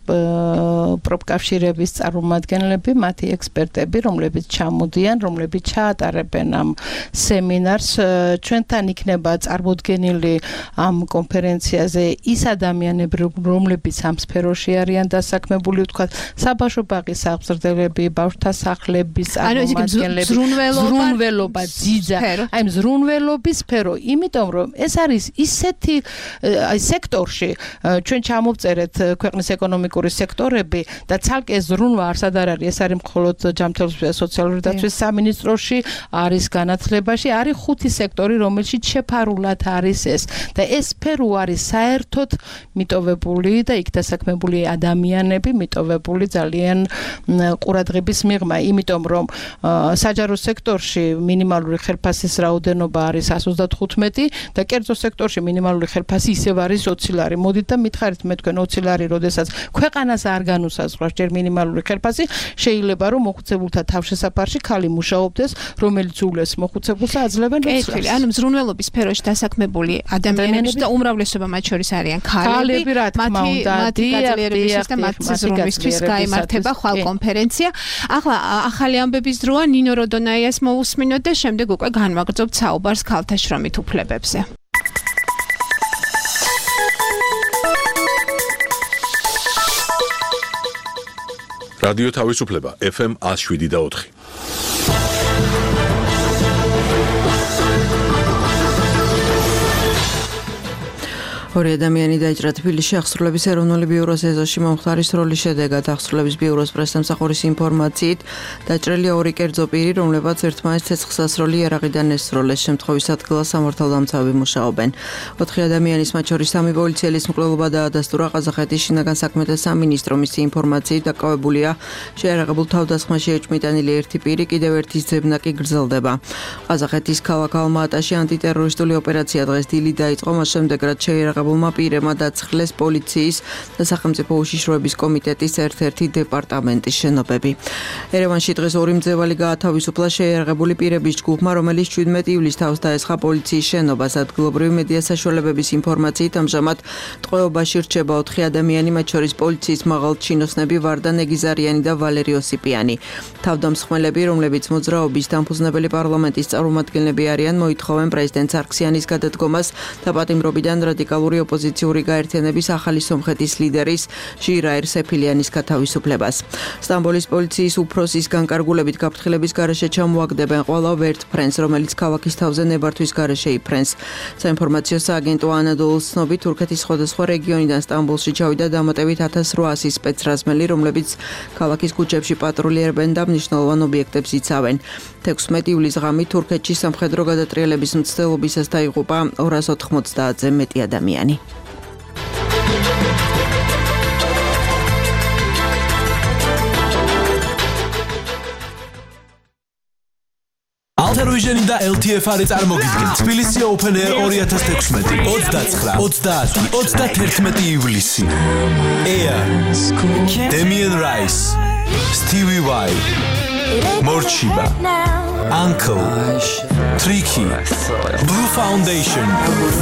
პროფკავშირების წარმომადგენლები, მათი ექსპერტები, რომლებიც ჩამოდიან, რომლებიც ჩაატარებენ ამ სემინარს. ჩვენთან იქნება წარმოდგენილი ამ კონფერენციაზე ის ადამიანები, რომლებიც ამ სფეროში არიან დასაქმებული, ვთქვათ, საბავშვო ბაღის აღზრდელები, ბავშვთა სახლების წარმომადგენლები, ზრუნველობა, ძიძა, აი ზრუნველობის სფერო, იმიტომ რომ ეს არის ისეთი სექტორში ჩვენ ჩამოვწერეთ ქვეყნის ეკონომიკური სექტორები და ცალკე ზრუნვა არსად არ არის, ეს არის მხოლოდ ჯანმრთელობის სოციალური დაცვის სამინისტროში, არის განათლებაში, არის 5 სექტორი, რომელშიც შეფარულად არის ეს და ეს სფერო არის საერთოდ მიტოვებული და იქ დასაქმებული ადამიანები მიტოვებული ძალიან ყურადღების მიღმა, იმიტომ რომ საჯარო სექტორში მინიმალური ხელფასის რაოდენობა არის 135 და კერძო სექტორში მინიმალური ხელფასი ისევ არის 20 ლარი. მოდით და მითხარით მე თქვენ 20 ლარი, როდესაც ქვეყანას არ განუსაზღვრავს ჯერ მინიმალური ხელფასი, შეიძლება რომ მოხუცებულთა თავშესაფარში ხალი მუშაობდეს, რომელიც უვლეს მოხუცებულს და აძლევენ რიცხვს. ანუ ზრუნველობის სფეროში დასაქმებული ადამიანები და უმრავლესობა მათ შორის არიან ქალები, მათი გაძლიერებისთვის და მათი ზრუნვისთვის გაიმართება ხვალ კონფერენცია. ახლა ახალი ამბების დროა, ნინო როდონაიას მოусმინოთ და შემდეგ უკვე განვაგრძობთ საუბარს ქალთა შრომით უფლებებზე. რადიო თავისუფლება FM 107.4. ორი ადამიანი დაიჭრა თბილისში აღსრულების ეროვნული ბიუროს ეზოში მომხდარის როლის შედეგად. აღსრულების ბიუროს პრესსამსახურის ინფორმაციით დაჭრილია 2 კერძო პირი, რომლებაც ერთმანეთს ცეცხლსასროლი იარაღიდან ესროლეს. შემთხვევის ადგილას სამართალდამცავები მუშაობენ. 4 ადამიანის, მათ შორის 3 პოლიციელის მკვლელობა დაადასტურა. ყაზახეთის შინაგან საქმეთა სამინისტრო მისი ინფორმაციით დაკავებულია შეიარაღებულ თავდასხმაში ეჭვმიტანილი 1 პირი, კიდევ ერთის ძებნა კი გრძელდება. ყაზახეთის ქალაქ ალმა-ატაში ანტიტერორისტული ოპერაცია დღეს დილით დაიწყო, მას შემდეგ რაც შეიარაღებულმა პირებმა დაცხლეს პოლიციის და სახელმწიფო უშიშროების კომიტეტის ერთ-ერთი დეპარტამენტის შენობები. ერევანში დღეს 2 მძევალი გაათავისუფლა შეიარაღებული პირების ჯგუფმა, რომელიც 17 ივლისს თავს დაესხა პოლიციის შენობას. ადგილობრივი მედია საშუალებების ინფორმაციით ამჟამად ტყვეობაში რჩება 4 ადამიანი, მათ შორის პოლიციის მაღალჩინოსნები ვარდა ნეგიზარიანი და ვალერი ოსიპიანი. თავდამსხმელები, რომლებიც მოძრაობის დამფუძნებელი პარლამენტის წარმომადგენლები არიან, მოითხოვენ პრეზიდენტ სარქსიანის გადადგომას და პატიმრობიდან რადიკალური ოპოზიციური გაერთიანების ახალი სომხეთის ლიდერის ჟირაერ სეფილიანის გათავისუფლებას. სტამბოლის პოლიციის უფროსის განკარგულებით გაფრთხილების გარეშე ჩამოაგდებენ ყველა ვერტ ფრენს, რომელიც ქალაქის თავზე ნებართვის გარეშე იფრენს. საინფორმაციო სააგენტო ანადოლუს ცნობით, თურქეთის სხვადასხვა რეგიონიდან სტამბოლში ჩავიდა დამატებით 1800 სპეცრაზმელი, რომლებიც ქალაქის ქუჩებში პატრულიერებენ და მნიშვნელოვან ობიექტებს იცავენ. 16 ივლისს ღამით თურქეთში სამხედრო გადატრიალების მცდელობისას დაიღუპა 290-ზე მეტი ადამიანი. Alter Vision და LTF არის წარმოგიდგენთ თბილისი Open Air 2016 29-30-31 ივლისი. Air, Damien Rice, Stevie Y, Morchiba, Uncle, Tricky, Blue Foundation,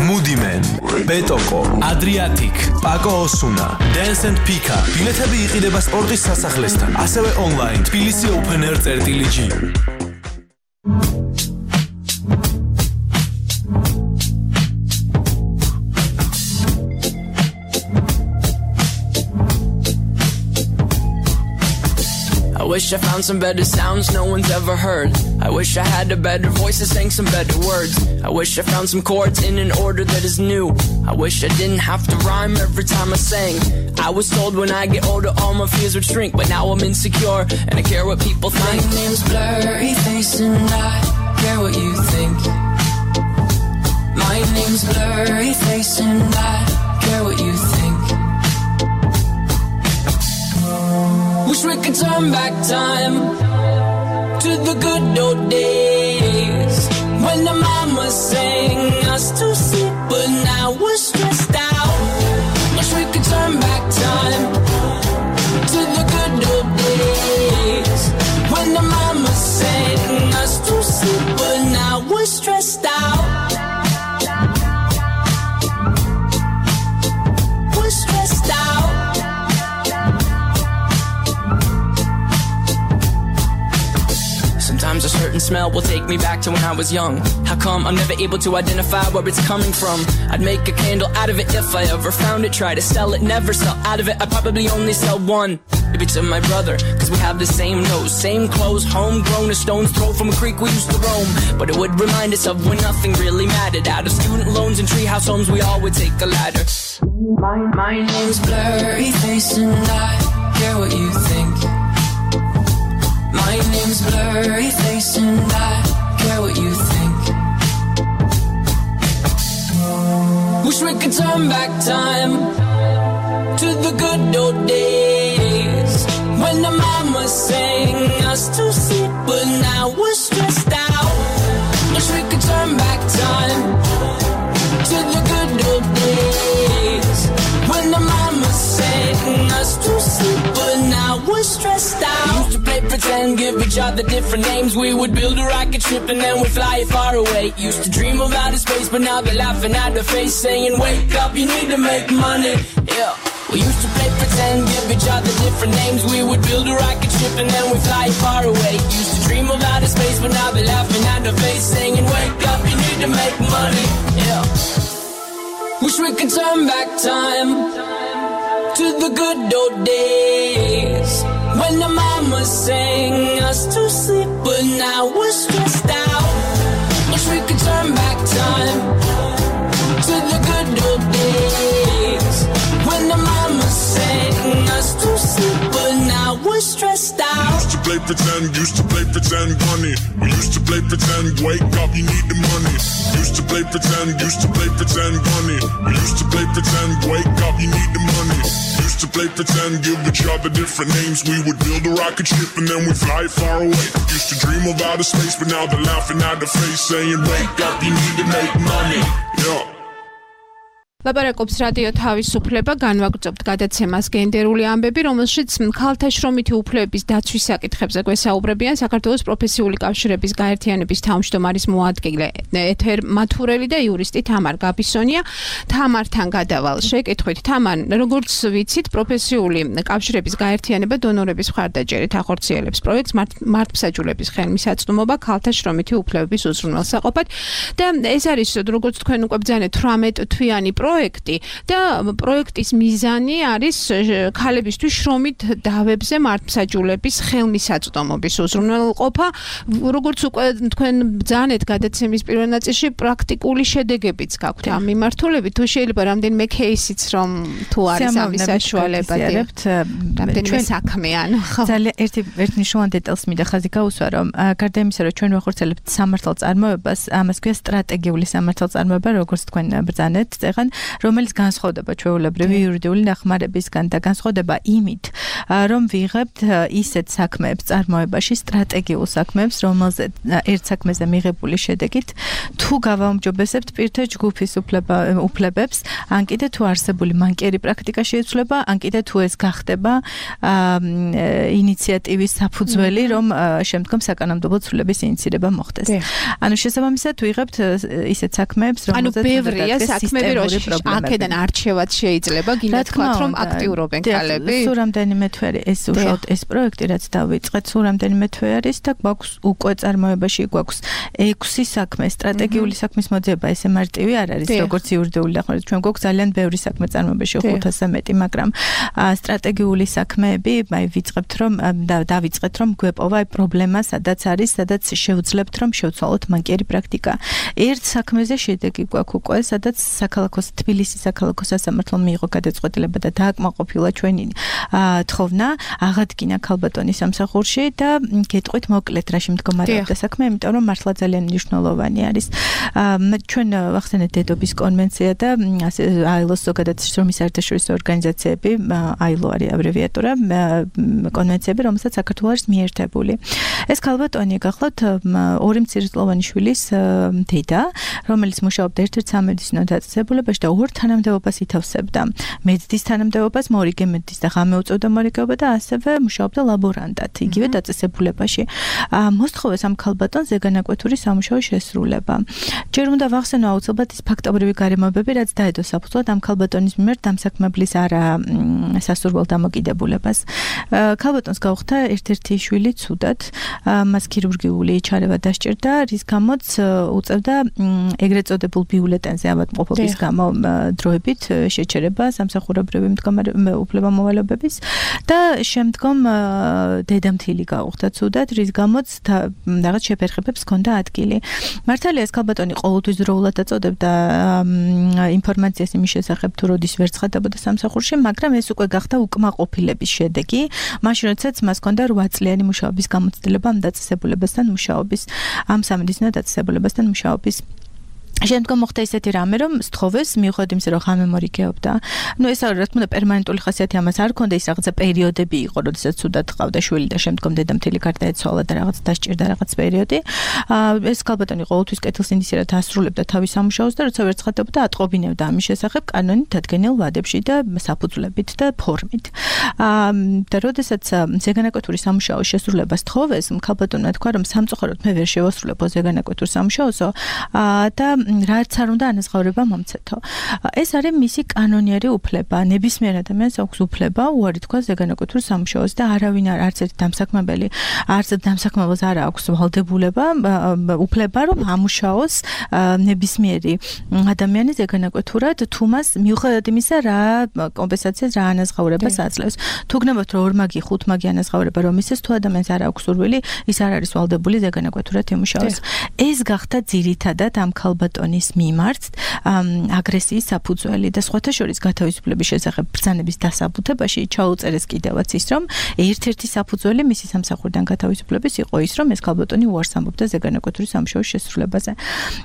Moody Man, Betoko, Adriatic, Paco Osuna, Dance and Pika. ბილეთები იყიდება სპორტის სასახლესთან, ასევე online თბილისი Open Air.g. I wish I found some better sounds no one's ever heard. I wish I had a better voice and sang some better words. I wish I found some chords in an order that is new. I wish I didn't have to rhyme every time I sang. I was told when I get older all my fears would shrink, but now I'm insecure and I care what people think. My name's Blurryface and I care what you think. My name's Blurryface and I care what you think. Wish we could turn back time to the good old days when the mama sang us to sleep, but now we're stressed out. Wish we could turn back time to the good old days when the mama sang us to sleep, but now we're stressed out. We're stressed out. Sometimes there's hurt smell will take me back to when I was young. How come I'm never able to identify where it's coming from? I'd make a candle out of it if I ever found it. Try to sell it, never sell out of it. I'd probably only sell one. Maybe to my brother, cause we have the same nose, same clothes, homegrown, a stone's throw from a creek we used to roam. But it would remind us of when nothing really mattered. Out of student loans and treehouse homes, we all would take a ladder. My name's Blurry Face and I care what you think. My name's Blurry Face and I care what you think. Wish we could turn back time to the good old days when the mama sang us to sleep, but now we're stressed out. Wish we could turn back time to the good old days when the mama sang us to sleep, but now we're stressed out. We used to play pretend, give each other different names. We would build a rocket ship and then we'd fly it far away. Used to dream of outer space, but now they're laughing at the face, saying, wake up, you need to make money. Yeah. We used to play pretend, give each other different names. We would build a rocket ship and then we'd fly far away. Used to dream of outer space, but now they're laughing at the face, saying, wake up, you need to make money. Yeah. Wish we could turn back time to the good old days when the mama sang us to sleep, but now we're stressed out. Wish we could turn back time to the good old days when the mama sang us to sleep, but now we're stressed out. Used to play pretend, bunny. We used to play pretend, wake up, you need the money. Used to play pretend, bunny. We used to play pretend, wake up, you need the money. Used to play pretend, give each other different names. We would build a rocket ship and then we'd fly far away. Used to dream of outer space, but now they're laughing at the face, saying, wake up, you need to make money. Yeah. ლაპარაკობს რადიო თავისუფლება, განვაგრძობთ გადაცემას გენდერული ამბები, რომელშიც ქალთა შრომითი უფლებების დაცვის საკითხებზე გვესაუბრებიან საქართველოს პროფესიული კავშირების გაერთიანების თავმჯდომარის მოადგილე ეთერ მათურელი და იურისტი თამარ გაბისონია. თამართან გადავალ შეკითხვით. თამარ, როგორც ვიცით, პროფესიული კავშირების გაერთიანება დონორების მხარდაჭერით ახორციელებს პროექტს მართლმსაჯულების ხელმისაწვდომობა ქალთა შრომითი უფლებების უზრუნველსაყოფად და ეს არის, როგორც თქვენ უკვე ბრძანეთ, 18 თვიანი პროექტი და პროექტის მიზანი არის ქალებისთვის შრომით დავებზე მართლმსაჯულების ხელმისაწვდომობის უზრუნველყოფა. როგორც უკვე თქვენ ბრძანეთ გადაცემის პირველ ნაწილში, პრაქტიკული შედეგებიც გაქვთ ამ მიმართულებით. თუ შეიძლება რამდენიმე кейსიც რომ თუ არის ამის საშუალება რამდენიმე საქმე ანუ ძალიან ერთი მნიშვნელოვანი დეტალს მინდა ხაზი გაუსვა, რომ გარდა იმისა, რომ ჩვენ ვახორციელებთ სამართალწარმოებას, ამას ქვია სტრატეგიული სამართალწარმოება, როგორც თქვენ ბრძანეთ წეგან, რომელიც განსხვავდება ჩვეულებრივი იურიდიული დახმარებისგან და განსხვავდება იმით, რომ ვიღებთ ისეთ საქმეებს წარმოებაში, სტრატეგიულ საქმეებს, რომელზეც ერთ საქმეზე მიღებული შედეგით თუ გავაუმჯობესებთ პირთა ჯგუფის უფლებებს, ან კიდე თუ არსებული მანკიერი პრაქტიკა შეიცვლება, ან კიდე თუ ეს გახდება ინიციატივის საფუძველი, რომ შემდგომ საკანონმდებლო ცვლილების ინიცირება მოხდეს. ანუ შესაბამისად ვიღებთ ისეთ საქმეებს, რომელზეც ბევრია საქმეები, აქედან არჩევაც შეიძლება, გინდა თქვათ, რომ აქტიურობენ ქალები. სულ რამდენიმე თვე ეს უშუალოდ ეს პროექტი, რაც დავიწყეთ, სულ რამდენიმე თვე არის და გვაქვს უკვე წარმოებაში გვაქვს 6 საქმე, სტრატეგიული საქმის მოძიება, ესე მარტივი არ არის, როგორც იურიდიული დახმარება. ჩვენ გვაქვს ძალიან ბევრი საქმე წარმოებაში, 500-ზე მეტი, მაგრამ სტრატეგიული საქმეები, ვიწყებთ რომ დავიწყეთ რომ გვეპოვა პრობლემა, სადაც არის, სადაც შევძლებთ რომ შევცვალოთ მანკიერი პრაქტიკა. ერთ საქმეზე შედეგი გვაქვს უკვე, სადაც საქალაქოს თბილისის საქალაქო სასამართლომ მიიღო გადაწყვეტილება და დააკმაყოფილა ჩვენი თხოვნა, აღადგინა ქალბატონის სამსახურში და გეტყვით მოკლედ რაში მდგომარეობდა საქმე, იმიტომ რომ მართლა ძალიან მნიშვნელოვანი არის. ჩვენ ვახსენეთ დედობის კონვენცია და ILO-ს ზოგადად შრომის საერთაშორისო ორგანიზაციები, ILO არის აბრევიატურა, კონვენციები, რომელსაც საქართველო არის მიერთებული. ეს ქალბატონი გახლავთ ორი მცირეწლოვანი შვილის დედა, რომელიც მუშაობდა ერთ-ერთ სამედიცინო დაწესებულებაში და ორ თანამდებობას ითავსებდა. მეცდის თანამდებობას, მორიგე მეცდის და ღამე უწევდა მორიგეობა და ასევე მუშაობდა ლაბორანტად, იგივე დაწესებულებაში. მოსთხოვეს ამ ქალბატონს ზეგანაკვეთური სამუშაო შესრულება. ჯერ უნდა ვახსენო აუცილებლად ის ფაქტობრივი გარემოებები, რაც დაედო საფუძვლად ამ ქალბატონის მიმართ დამსაქმებლის არასასურველ დამოკიდებულებას. ქალბატონს გაუხდა ერთ-ერთი შვილი ცუდად, მას ქირურგიული ჩარევა დასჭირდა, რის გამოც უწევდა ეგრეთ წოდებულ ბიულეტენზე ავადმყოფობის გამო დროებით შეჩერება სამსახურებრივი უფლებამოვალეობების და შემდგომ დედამთილი გაუხდა ცუდად, რის გამოც რაღაც შეფერხებებს ჰქონდა ადგილი. მართალია ეს ქალბატონი ყოველთვის დროულად აწოდებდა ინფორმაციას იმის შესახებ, თუ როდის ვერ ცხადდებოდა სამსახურში, მაგრამ ეს უკვე გახდა უკმაყოფილების შედეგი. მაშინ როდესაც მას ჰქონდა 8 წლიანი მუშაობის გამოცდილება ამ დაწესებულებასთან მუშაობის, ამ სამედიცინო დაწესებულებასთან მუშაობის. შემდგომ მოხდა ისეთი რამე, რომ სთხოვეს მიუხედავად იმისა, რომ ღამე მორიგეობდა. ეს რა თქმა უნდა პერმანენტული ხასიათი ამას არ ჰქონდა, ის რაღაცა პერიოდები იყო, როდესაც ცუდად ყავდა შვილი და შემდგომ დედამთილი გარდაეცვალა და რაღაც დასჭირდა რაღაც პერიოდი. ეს ქალბატონი ყოველთვის კეთილსინდისიერად ასრულებდა თავის სამუშაოს და როცა ვერ ცხადდებოდა, ატყობინებდა ამის შესახებ კანონით დადგენილ ვადებში და საფუძვლებით და ფორმით. და როდესაც ზეგანაკვეთური სამუშაოს შესრულებას სთხოვეს, ქალბატონმა თქვა, რომ სამწუხაროდ მე ვერ შევასრულებო ზეგანაკვეთურ სამუშაოსო და რაც არ უნდა ანაზღაურება მომცეთო. ეს არის მისი კანონიერი უფლება. ნებისმიერ ადამიანს აქვს უფლება უარი თქვა ზეგანაკვეთურ სამუშაოს და არავინ არც ერთი დამსაქმებელი, არც დამსაქმებელს არ აქვს ვალდებულება, უფლება რომ ამუშაოს ნებისმიერი ადამიანი ზეგანაკვეთურად, თუ მას მიუხედავად იმისა, რა კომპენსაციას, რა ანაზღაურებას აძლევს. თუ გნებავთ რომ ორმაგი, ხუთმაგი ანაზღაურება რომ ისეს, თუ ადამიანს არ აქვს სურვილი, ის არ არის ვალდებული ზეგანაკვეთურად იმუშაოს. ეს გახდა ძირითადად ამ ქალბატონის მიმართ აგრესიის საფუძველი და სხვათა შორის გათავისუფლების შესახებ ბრძანების დასაბუთებაში ჩაუწერეს კიდევაც ის, რომ ერთ-ერთი საფუძველი მისი სამსახურიდან გათავისუფლების იყო ის, რომ ეს ქალბატონი უარს ამბობდა ზეგანაკვეთური სამუშაოს შესრულებაზე.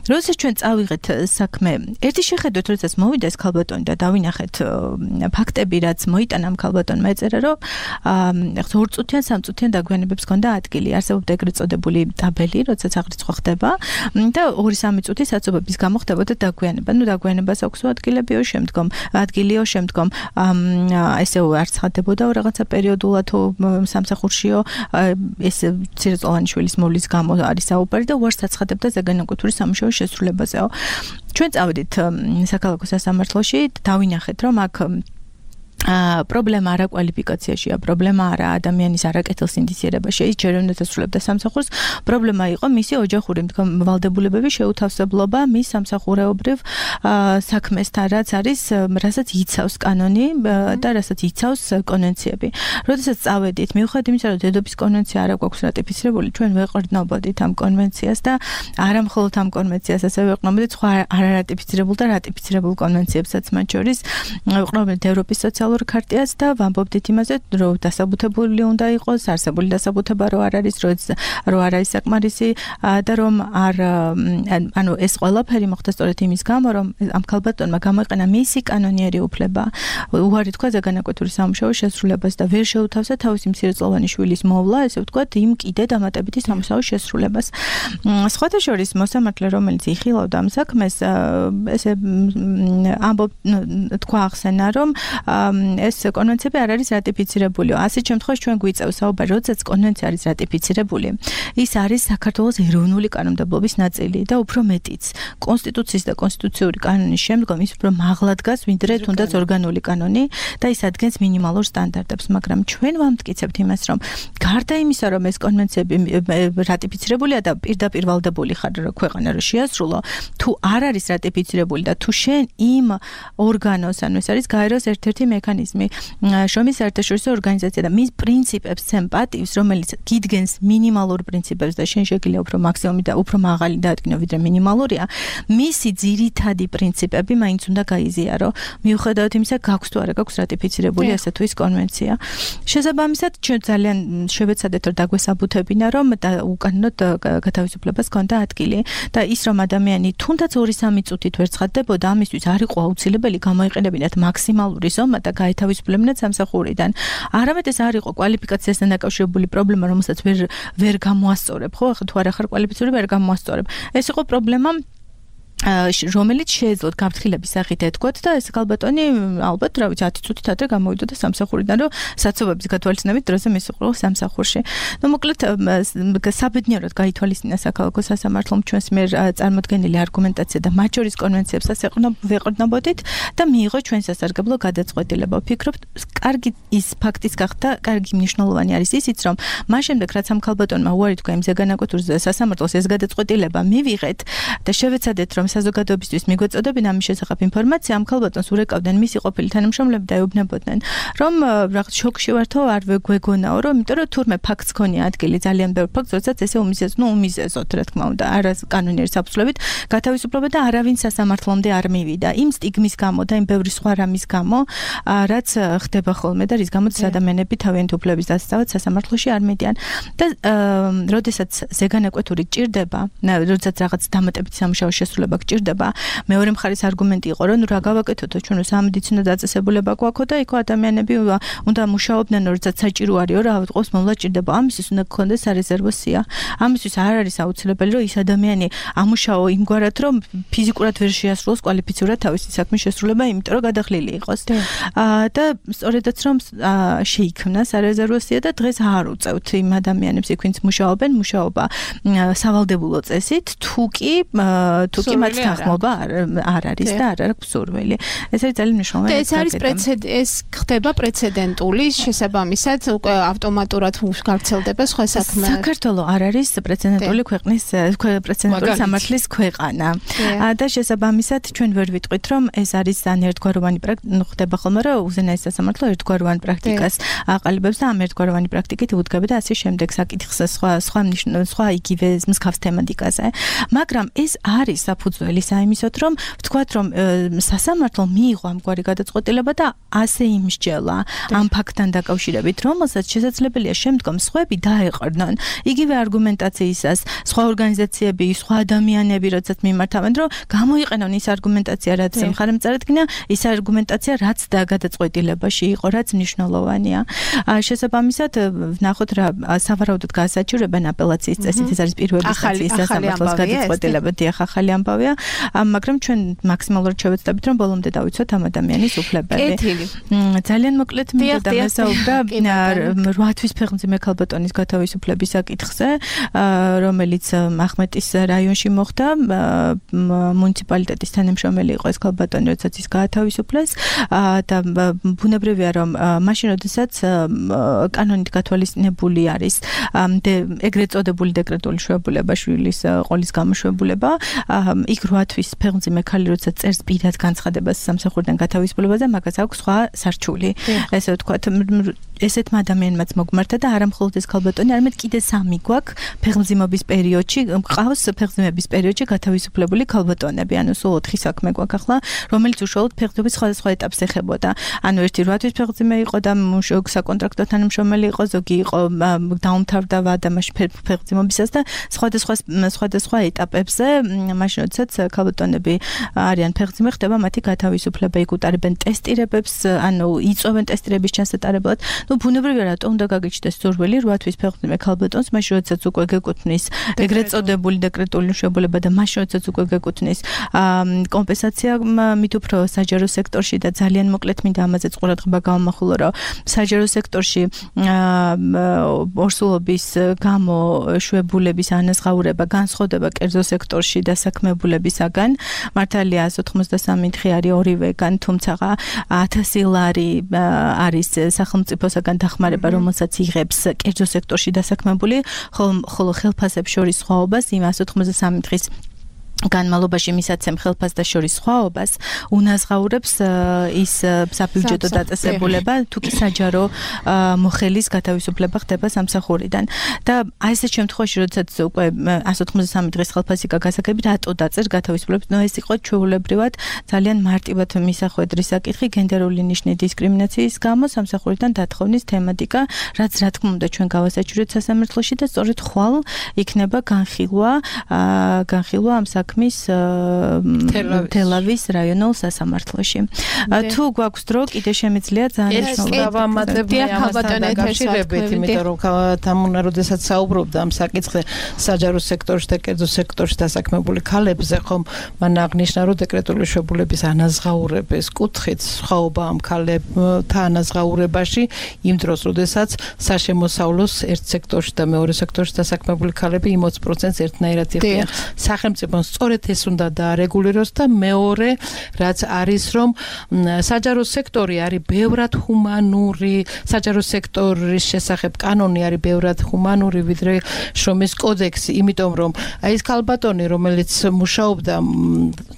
როდესაც ჩვენ წავიღეთ საქმე, ერთი შეხედვით, როდესაც მოვიდა ეს ქალბატონი და დავინახეთ ფაქტები, რაც მოიტანა ამ ქალბატონმა, ეწერა, რომ 2 წუთიან, 3 წუთიან დაგვიანებებს ჰქონდა ადგილი. არსებობდა ეგრეთ წოდებული ტაბელი, როდესაც აღრიცხვა ხდება და 2-3 წუთი საცობების გამო ხდებოდა დაგვიანება. დაგვიანებას აქვს ადგილებიო, ადგილიო, შემდგომ ესე არ ცხადდებოდა რაღაცა პერიოდულად სამსახურშიო, ეს ცირეწლოვანი შვილის მოვლის გამო არის საუბარი და უარს აცხადებდა ზეგანაკვეთური სამუშაოს შესრულებაზეო. ჩვენ წავედით საქალაქო სასამართლოში, დავინახეთ, რომ აქ პრობლემა არა კვალიფიკაციაშია, პრობლემა არა ადამიანის არაკეთილსინდისიერებაში, ის ჯერ უნდა დასრულებდა სამსახურს, პრობლემა იყო მისი ოჯახური ვალდებულებების შეუთავსებლობა მის სამსახურეობრივ საქმესთან, რაც არის, რასაც იცავს კანონი და რასაც იცავს კონვენციები. როდესაც წავედით, მიუხედავად იმისა, რომ დედობის კონვენცია არ გვაქვს რატიფიცირებული, ჩვენ ვეყრდნობოდით ამ კონვენციას და არა მხოლოდ ამ კონვენციას, ასევე ვეყრდნობოდით სხვა არარატიფიცირებულ და რატიფიცირებულ კონვენციებსაც, მათ შორის ვეყრდნობოდით ევროპის სოციალურ ქარტიას და ვამბობდით იმაზე, რომ დასაბუთებული უნდა იყოს, არსებული დასაბუთება რო არ არის, რო არ არის საკმარისი და რომ ანუ ეს ყველაფერი მოხდა სწორედ იმის გამო, რომ ამ ქალბატონმა გამოიყენა მისი კანონიერი უფლება უარი თქვა ზეგანაკვეთური სამუშაოს შესრულებას და ვერ შეუთავსა თავისი მცირეწლოვანი შვილის მოვლა, ესე ვთქვათ, იმ კიდე დამატებითი სამუშაოს შესრულებას. სხვათა შორის მოსამართლე, რომელიც იხილავდა ამ საქმეს, ესე თქვა ახსენა, რომ ეს კონვენციები არ არის რატიფიცირებული. ასეთ შემთხვევაში ჩვენ გვიწევს საუბარი, როდესაც კონვენცია არის რატიფიცირებული, ის არის საქართველოს ეროვნული კანონმდებლობის ნაწილი და უფრო მეტიც. კონსტიტუციის და კონსტიტუციური კანონის შემდგომ ის უფრო მაღლა დგას, ვიდრე თუნდაც ორგანული კანონი და ის ადგენს მინიმალურ სტანდარტებს, მაგრამ ჩვენ ვამტკიცებთ იმას, რომ გარდა იმისა, რომ ეს კონვენციები რატიფიცირებულია და პირდაპირ ვალდებული ხარ ქვეყანა რომ შეასრულო, თუ არ არის რატიფიცირებული და თუ შენ იმ ორგანოს, ანუ ეს არის გაეროს ერთ-ერთი მექანიზმი, შრომის საერთაშორისო ორგანიზაცია და მის პრინციპებს ცემ პატივს, რომელიც გიდგენს მინიმალურ პრინციპებს და შენ შეგიძლია უფრო მაქსიმუმი და უფრო მაღალი დაადგინო, ვიდრე მინიმალურია, მისი ძირითადი პრინციპები მაინც უნდა გაიზიარო, მიუხედავად იმისა, გაქვს თუ არა გაქვს რატიფიცირებული ასე თუ ის კონვენცია. შესაბამისად, ჩვენ ძალიან შევეცადეთ, რომ დაგვესაბუთებინა, რომ უკანონოდ გათავისუფლებას ჰქონდა ადგილი და ის, რომ ადამიანი თუნდაც 2-3 წუთით ვერ ცხადდებოდა, ამისთვის არ იყო აუცილებელი გამოიყენებინათ მაქსიმალური ზომა და გაეთავისუფლებინათ სამსახურიდან. არამედ ეს არ იყო კვალიფიკაციასთან დაკავშირებული პრობლემა, რომელსაც ვერ გამოასწორებ, ხო? ახლა თუ არ ახარ კვალიფიციური, ვერ გამოასწორებ. ეს იყო პრობლემა რომელიც შეეძლოთ გაფრთხილების სახით ეთქვათ და ეს ქალბატონი ალბათ რა ვიცი 10 წუთით ადრე გამოვიდოდა სამსახურიდან რომ საცობების გათვალისწინებით დროზე მისუყროს სამსახურში. ნუ მოკლედ საბედნიეროდ გაითვალისწინა საქალაქო სასამართლომ ჩვენს მიერ წარმოდგენილი არგუმენტაცია და მათ შორის კონვენციებსაც ვეყრდნობოდით და მიიღო ჩვენ სასარგებლო გადაწყვეტილება. ვფიქრობთ, კარგი ის ფაქტის გახდა, კარგი მნიშვნელოვანი არის ისიც, რომ მას შემდეგ რაც ამ ქალბატონმა უარი თქვა იმ ზეგანაკვეთურ სასამართლოს ეს გადაწყვეტილება მივიღეთ და შევეცადეთ რომ საზოგადოებისთვის მიგვეწოდებინ ამის შესახებ ინფორმაცია, ამ ქალბატონს ურეკავდნენ მისი ყოფილი თანამშრომლები და ეუბნებოდნენ, რომ რაღაც შოკში ვართო, არ გვეგონაო, რომ იმიტომ რომ თურმე ფაქტს ქონია ადგილი ძალიან ბევრ ფაქტს, როდესაც ესე უმიზეზოთ, რა თქმა უნდა, არა კანონიერი საფუძვლებით გათავისუფლება და არავინ სასამართლომდე არ მივიდა. იმ სტიგმის გამო და იმ ბევრი სხვა რამის გამო, რაც ხდება ხოლმე და რის გამოც ადამიანები თავიანთი უფლების დასაცავად სასამართლოში არ მიდიან. და როდესაც ზეგანაკვეთური ჭირდება, როდესაც რაღაც დამატებითი სამუშაო შესრულება გჭირდება, მეორე მხარის არგუმენტი იყო, რომ რა გავაკეთოთ, ჩვენ სამედიცინო დაწესებულება გვაქვს და იქ ადამიანები უნდა მუშაობდნენ, როდესაც საჭირო არის, რა ავიღოს მოვლა ჭირდება. ამისთვის უნდა გქონდეს სარეზერვო სია. ამისთვის არ არის აუცილებელი, რომ ის ადამიანი ამუშაო იმგვარად, რომ ფიზიკურად ვერ შეასრულოს კვალიფიცურად თავისი საქმის შესრულება, იმიტომ რომ გადახლილი იყოს. და სწორედაც რომ შეიქმნა სარეზერვო სია და დღეს არ უწევთ იმ ადამიანებს, ვინც მუშაობენ, მუშაობა სავალდებულო წესით, თუ კი მათ თანხმობა არ არის და არ აქვს სურვილი. ეს არის ძალიან მნიშვნელოვანი. ეს არის ეს ხდება პრეცედენტული შესაბამისად უკვე ავტომატურად გავრცელდება სხვა საქმე. საქართველო არ არის პრეცედენტული ქვეყნის პრეცედენტული სამართლის ქვეყანა. და შესაბამისად ჩვენ ვერ ვიტყვით რომ ეს არის ძალიან ერთგვაროვანი ხდება ხოლმე რომ უზენაეს სასამართლო ერთგვაროვან პრაქტიკას აყალიბებს და ამ ერთგვაროვანი პრაქტიკით უდგება და ასე შემდეგ საკითხს სხვა იგივე მსგავს თემატიკაზე. მაგრამ ეს არის საფუძველი საიმისოთ რომ ვთქვათ რომ სასამართლო მიიღო ამგვარი გადაწყვეტილება და ასე იმსჯელა ამ ფაქტთან დაკავშირებით რომელსაც შესაძლებელია შემდგომ სხვები დაეყრდნონ იგივე არგუმენტაციისას სხვა ორგანიზაციები სხვა ადამიანები როდესაც მიმართავენ რომ გამოიყენონ ის არგუმენტაცია რაც მხარემწარადგინა ის არგუმენტაცია რაც და გადაწყვეტილებაში იყო რაც მნიშვნელოვანია შესაბამისად ვნახოთ რა სავარაუდოდ გაასაჩივრებენ აპელაციის წესით ეს არის პირველი ინსტანციის სასამართლოს გადაწყვეტილება დიახ ახალი ამბავია მაგრამ ჩვენ მაქსიმალურად შევეცდებით რომ ბოლომდე დავიცვათ ამ ადამიანის უფლებები ძალიან მოკლედ მინდა დამესაუბრა 8 თვის ფეხმძიმე ქალბატონის გათავისუფლების საკითხზე რომელიც ახმეტის რაიონში მოხდა მუნიციპალიტეტის თანამშრომელი იყო ეს ქალბატონი როდესაც ის გაათავისუფლეს და ბუნებრივია რომ მაშინ როდესაც კანონით გათვალისწინებული არის ეგრეთ წოდებული დეკრეტული შვებულება შვილის ყოლის გამოშვებულება იქ 8 თვის ფეხმძიმე ქალი როდესაც წერს პირად განცხადებას სამსახურიდან გათავისუფლებაზე მაგას აქვს სხვა სარჩული ესე ვთქვათ ესეთმა ადამიანმაც მოგმართა და არა მხოლოდ ეს ქალბატონი არამედ კიდე 3 გვაქვს ფეხმძიმობის პერიოდში ყავს ფეხმძიმების პერიოდში გათავისუფლებული ქალბატონები ანუ სულ 4 საქმე გვაქვს ახლა რომელიც უშუალოდ ფეხმძიმების სხვადასხვა ეტაპს ეხებოდა ანუ ერთი 8 თვის ფეხმძიმე იყო და საკონტრაქტო თანამშრომელი იყო ზოგი იყო დაუმთავრდა ვადამაში ფეხმძიმობისას და სხვადასხვა ეტაპებზე მაშინ როდესაც ქალბატონები არიან ფეხმძიმე ხდება მათი გათავისუფლება იქ უტარებენ ტესტირებებს ანუ იწვევენ ტესტირების ჩასატარებლად ну ბუნებრივია რატო უნდა გაგიჩნდეს სურვილი 8 თვის ფეხმძიმე ქალბატონს მაშინ როდესაც უკვე გეკუთვნის ეგრეთ წოდებული დეკრეტული მშობლება და მაშინ როდესაც უკვე გეკუთვნის კომპენსაცია მით უფრო საჯარო სექტორში და ძალიან მოკლედ მინდა ამაზეც ყურადღება გავამახვილო რომ საჯარო სექტორში ორსულობის გამო შვებულების ანაზღაურება განსხვავდება კერძო სექტორში დასაქმებულებისაგან მართალია 183 დღე არის ორივეგან თუმცა 1000 ლარი არის სახელმწიფოსაგან დახმარება რომელსაც იღებს კერძო სექტორში დასაქმებული ხოლო ხელფასებს შორის სხვაობას იმ 183 დღის განმავლობაში მისაცემ ხელფას და შორის სხვაობას უნაზღაურებს ის საბიუჯეტო დაწესებულება თუ კი საჯარო მოხელის გათავისუფლება ხდება სამსახურიდან და აი ეს შემთხვევაში როდესაც უკვე 183 დღის ხელფასი გასაგებით რატო დაწერ გათავისუფლებას ნუ ეს იყო ჩვეულებრივად ძალიან მარტივად მისახვედრი საკითხი გენდერული ნიშნის დისკრიმინაციის გამო სამსახურიდან დათხოვნის თემატიკა რაც რა თქმა უნდა ჩვენ გავასაჩივრეთ სასამართლოში და სწორედ ხვალ იქნება განხილვა ამ საქმის თელავის რაიონულ სასამართლოში. თუ გვაქვს დრო, კიდე შემიძლია ძალიან დაკავშირებით, იმიტომ რომ თამუნა როდესაც საუბრობდა ამ საკითხზე საჯარო სექტორში და კერძო სექტორში დასაქმებული ქალებზე, ხომ მან აღნიშნა, რომ დეკრეტული შვებულების ანაზღაურების კუთხით სხვაობა ამ ქალებთან ანაზღაურებაში იმ დროს, როდესაც საშემოსავლოს ერთ სექტორში და მეორე სექტორში დასაქმებული ქალები 20%-ს ერთნაირად იღებენ. სახელმწიფომ სწორედ ეს უნდა დაარეგულიროს და მეორე, რაც არის, რომ საჯარო სექტორი არის ბევრად ჰუმანური, საჯარო სექტორის შესახებ კანონი არის ბევრად ჰუმანური ვიდრე შრომის კოდექსი, იმიტომ რომ აი ეს ქალბატონი, რომელიც მუშაობდა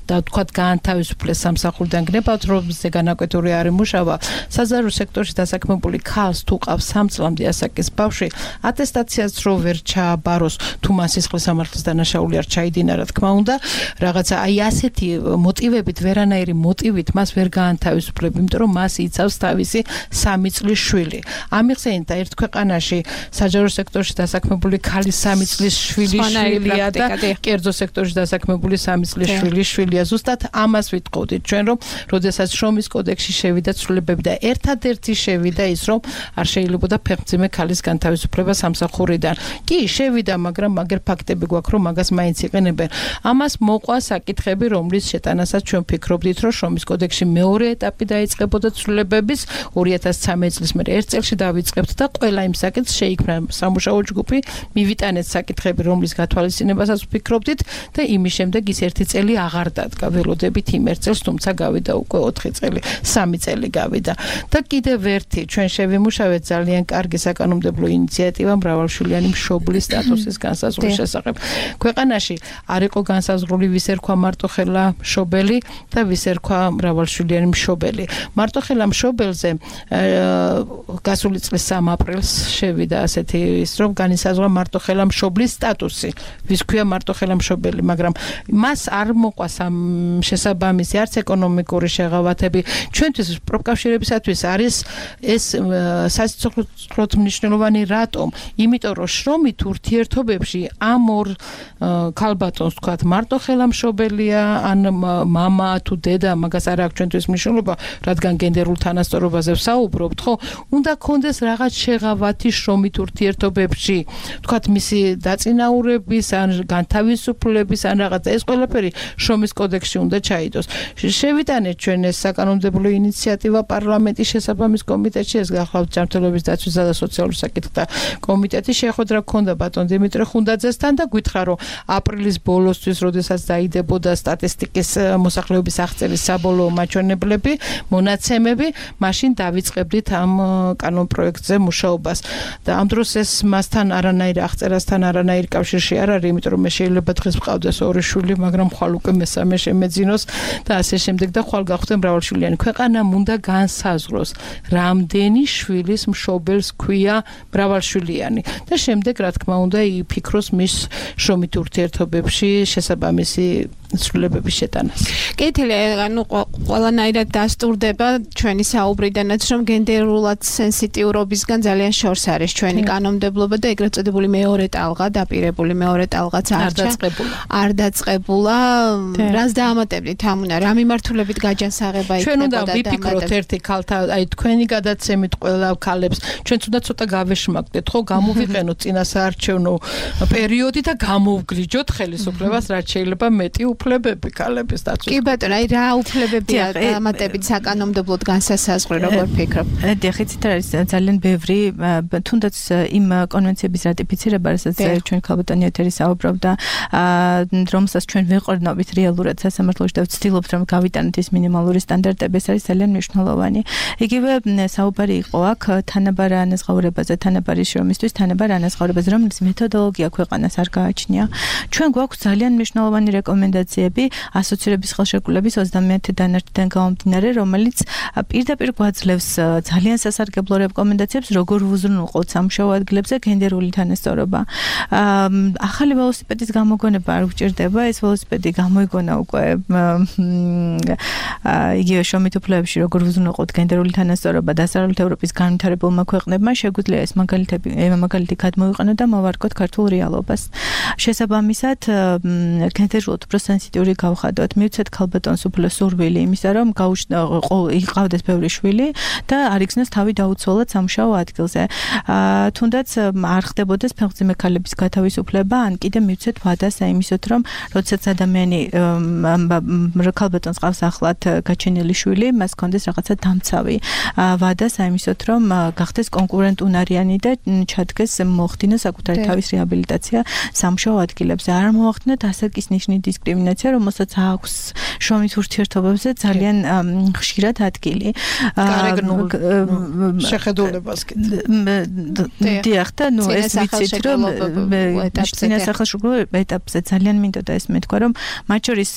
და თქვათ გაანთავისუფლეს სამსახურიდან გნებავთ, რომელზე განაკვეთური არის მუშაობა, საჯარო სექტორში დასაქმებული ქალს თუ ყავს 3 წლამდე ასაკის ბავშვი, ატესტაციას რო ვერ ჩააბაროს, თუ მას სისხლის სამართლის დანაშაული არ ჩაიდინა, რა თქმა უნდა, რაღაცა აი ასეთი მოტივებით, ვერანაირი მოტივით მას ვერ გაანთავისუფლებ, იმიტომ რომ მას იცავს თავისი 3 წლის შვილი. ამიხსენით და ერთ ქვეყანაში საჯარო სექტორში დასაქმებული ქალის 3 წლის შვილია და კერძო სექტორში დასაქმებული 3 წლის შვილია. ზუსტად ამას ვიტყოდით ჩვენ, რომ როდესაც შრომის კოდექსში შევიდა ცვლილებები და ერთადერთი შევიდა ის, რომ არ შეიძლებოდა ფეხმძიმე ქალის განთავისუფლება სამსახურიდან. კი, შევიდა, მაგრამ მაგერ ფაქტები გვაქვს, რომ მაგას მაინც იყენებენ. ამას მოყვა საკითხები, რომლის შეტანასაც ჩვენ ფიქრობდით, რომ შრომის კოდექსში მეორე ეტაპი დაიწყებოდა ცვლილებების 2013 წლის მერე ერთ წელში დავიწყებთ და ყველა იმ საკითხს შეიქმნა სამუშაო ჯგუფი, მივიტანეთ საკითხები, რომლის გათვალისწინებასაც ვფიქრობდით და იმის შემდეგ ის ერთი წელი აღარ დადგა, ველოდებით იმ ერთ წელს, თუმცა გავიდა უკვე 4 წელი, 3 წელი გავიდა. და კიდევ ერთი ჩვენ შევიმუშავეთ ძალიან კარგი საკანონმდებლო ინიციატივა მრავალშვილიანი მშობლის სტატუსის განსაზღვრის შესახებ. ქვეყანაში არ იყო განსაზღვრული ვის ერქვა მარტოხელა მშობელი და ვის ერქვა მრავალშვილიანი მშობელი. მარტოხელა მშობელზე გასული წლის 3 აპრილს შევიდა ასეთი ის, რომ განისაზღვრა მარტოხელა მშობლის სტატუსი, ვის ქვია მარტოხელა მშობელი, მაგრამ მას არ მოყვა შესაბამისი არც ეკონომიკური შეღავათები. ჩვენთვის პროფკავშირებისათვის არის ეს სასიცოცხლოდ მნიშვნელოვანი რატომ? იმიტომ რომ შრომით ურთიერთობებში ამ ორ ქალბატონს თქვათ მარტოხელა მშობელია, ან მამა თუ დედა, მაგას არ აქვს ჩვენთვის მნიშვნელობა, რადგან გენდერულ თანასწორობაზე ვსაუბრობთ, ხო? უნდა კონდეს რაღაც შეღავათი შრომით ურთიერთობებში, თქვათ მისი დაწინაურების ან განთავისუფლების ან რაღაცა, ეს ყველაფერი შრომის კოდექსში უნდა ჩაიდოს. შევიტანეთ ჩვენ ეს საკანონმდებლო ინიციატივა პარლამენტის შესაბამის კომიტეტში, ეს გახლავთ ჯანმრთელობის დაცვისა და სოციალურ საკითხთა კომიტეტი, შეხვედრა გქონდა ბატონ დიმიტრი ხუნდაძესთან და გითხრა, რომ აპრილის ბოლოსთვის, როდესაც დაიდებოდა სტატისტიკის მოსახლეობის აღწერის საბოლოო მაჩვენებლები, მონაცემები, მაშინ დავიწყებდით ამ კანონ პროექტზე მუშაობას. და ამ დროს ეს მასთან არანაირ აღწერასთან არანაირ კავშირში არ არის, იმიტომ რომ მე შეიძლება დღეს ვყავდეს 2 შვილი, მაგრამ ხვალ უკვე მესამე შემეძინოს და ასე შემდეგ და ხვალ გავხდე მრავალშვილიანი. ქვეყანამ უნდა განსაზღვროს, რამდენი შვილის მშობელს ქვია მრავალშვილიანი და შემდეგ რა თქმა უნდა იფიქროს მის შრომით ურთიერთობებში შესაბამისი ცვლილებების შეტანას. კეთილი, ანუ ყველანაირად დასტურდება ჩვენი საუბრიდანაც, რომ გენდერულად სენსიტიურობისგან ძალიან შორს არის ჩვენი კანონმდებლობა და ეგრეთ წოდებული მეორე ტალღა, დაპირებული მეორე ტალღაც არ დაწყებულა. რას დაამატებდით თამუნა? რა მიმართულებით გაჯანსაღება იქნებოდა? ჩვენ უნდა ვიფიქროთ ერთი ქალთა, აი თქვენი გადაცემით ყველა ქალებს, ჩვენც უნდა ცოტა გავეშმაკდეთ, ხო, გამოვიყენოთ წინასაარჩევნო პერიოდი და გამოვგლიჯოთ ხელისუფლებას, რაც შეიძლება მეტი უფლებები ქალების დაცვის. კი ბატონო, აი რა უფლებებია დამატებით საკანონმდებლოდ განსასაზღვრი, როგორ ფიქრობ? დიახით, არის ძალიან ბევრი, თუნდაც იმ კონვენციების რატიფიცირება, რასაც ჩვენ ქალბატონი ეთერი საუბრობდა, რომელსაც ჩვენ ვეყრდნობით რეალურად სასამართლოში და ვცდილობთ, რომ გავიტანოთ ის მინიმალური სტანდარტები, ეს არის ძალიან მნიშვნელოვანი. იგივე საუბარი იყო აქ თანაბარ ანაზღაურებაზე, თანაბარი შრომისთვის, თანაბარ ანაზღაურებაზე, რომელიც მეთოდოლოგია ქვეყანას არ გააჩნია. ჩვენ გვაქვს ძალიან მნიშვნელოვანი რეკომენდაციები ასოცირების ხელშეკრულების 30 დანაშტიდან გამომდინარე, რომელიც პირდაპირ გვაძლევს ძალიან სასარგებლო რეკომენდაციებს, როგორ უზრუნველყოთ სამუშაო ადგილებზე გენდერული თანასწორობა. ახალი ველოსიპედის გამოგონება არ გვჭირდება, ეს ველოსიპედი გამოიგონა უკვე იგივე შრომით უფლებებში, როგორ უზრუნველყოთ გენდერული თანასწორობა დასავლეთ ევროპის განვითარებულმა ქვეყნებმა, შეგვიძლია ეს მაგალითი გადმოვიყენოთ და მოვარგოთ ქართულ რეალობას. შესაბამისად, გენდერულად უფრო სენსიტიური გავხადოთ, მივცეთ ქალბატონს უფრო სურვილი იმისა, რომ იყავდეს ბევრი შვილი და არ იქნას თავი დაუცველად სამუშაო ადგილზე. თუნდაც არ ხდებოდეს ფეხმძიმე ქალების გათავისუფლება, ან კიდე მივცეთ ვადას იმისოთ, რომ როდესაც ადამიანი ქალბატონს ყავს ახლად გაჩენილი შვილი, მას კონდეს რაღაცა დამცავი ვადას იმისოთ, რომ გახდეს კონკურენტუნარიანი და ჩადგეს მოხდინოს საკუთარი თავის რეაბილიტაცია სამუშაო ადგილებზე. არ მოახდინოთ ასაკის ნიშნის დისკრიმინაცია, რომელსაც აქვს შრომის ურთიერთობებზე ძალიან ხშირად ადგილი. შეხედულებას კიდე. დიახ და ეს ვიცით რომ წინასახელშუქრულ ეტაპზე ძალიან მინდოდა ეს მეთქვა რომ მათ შორის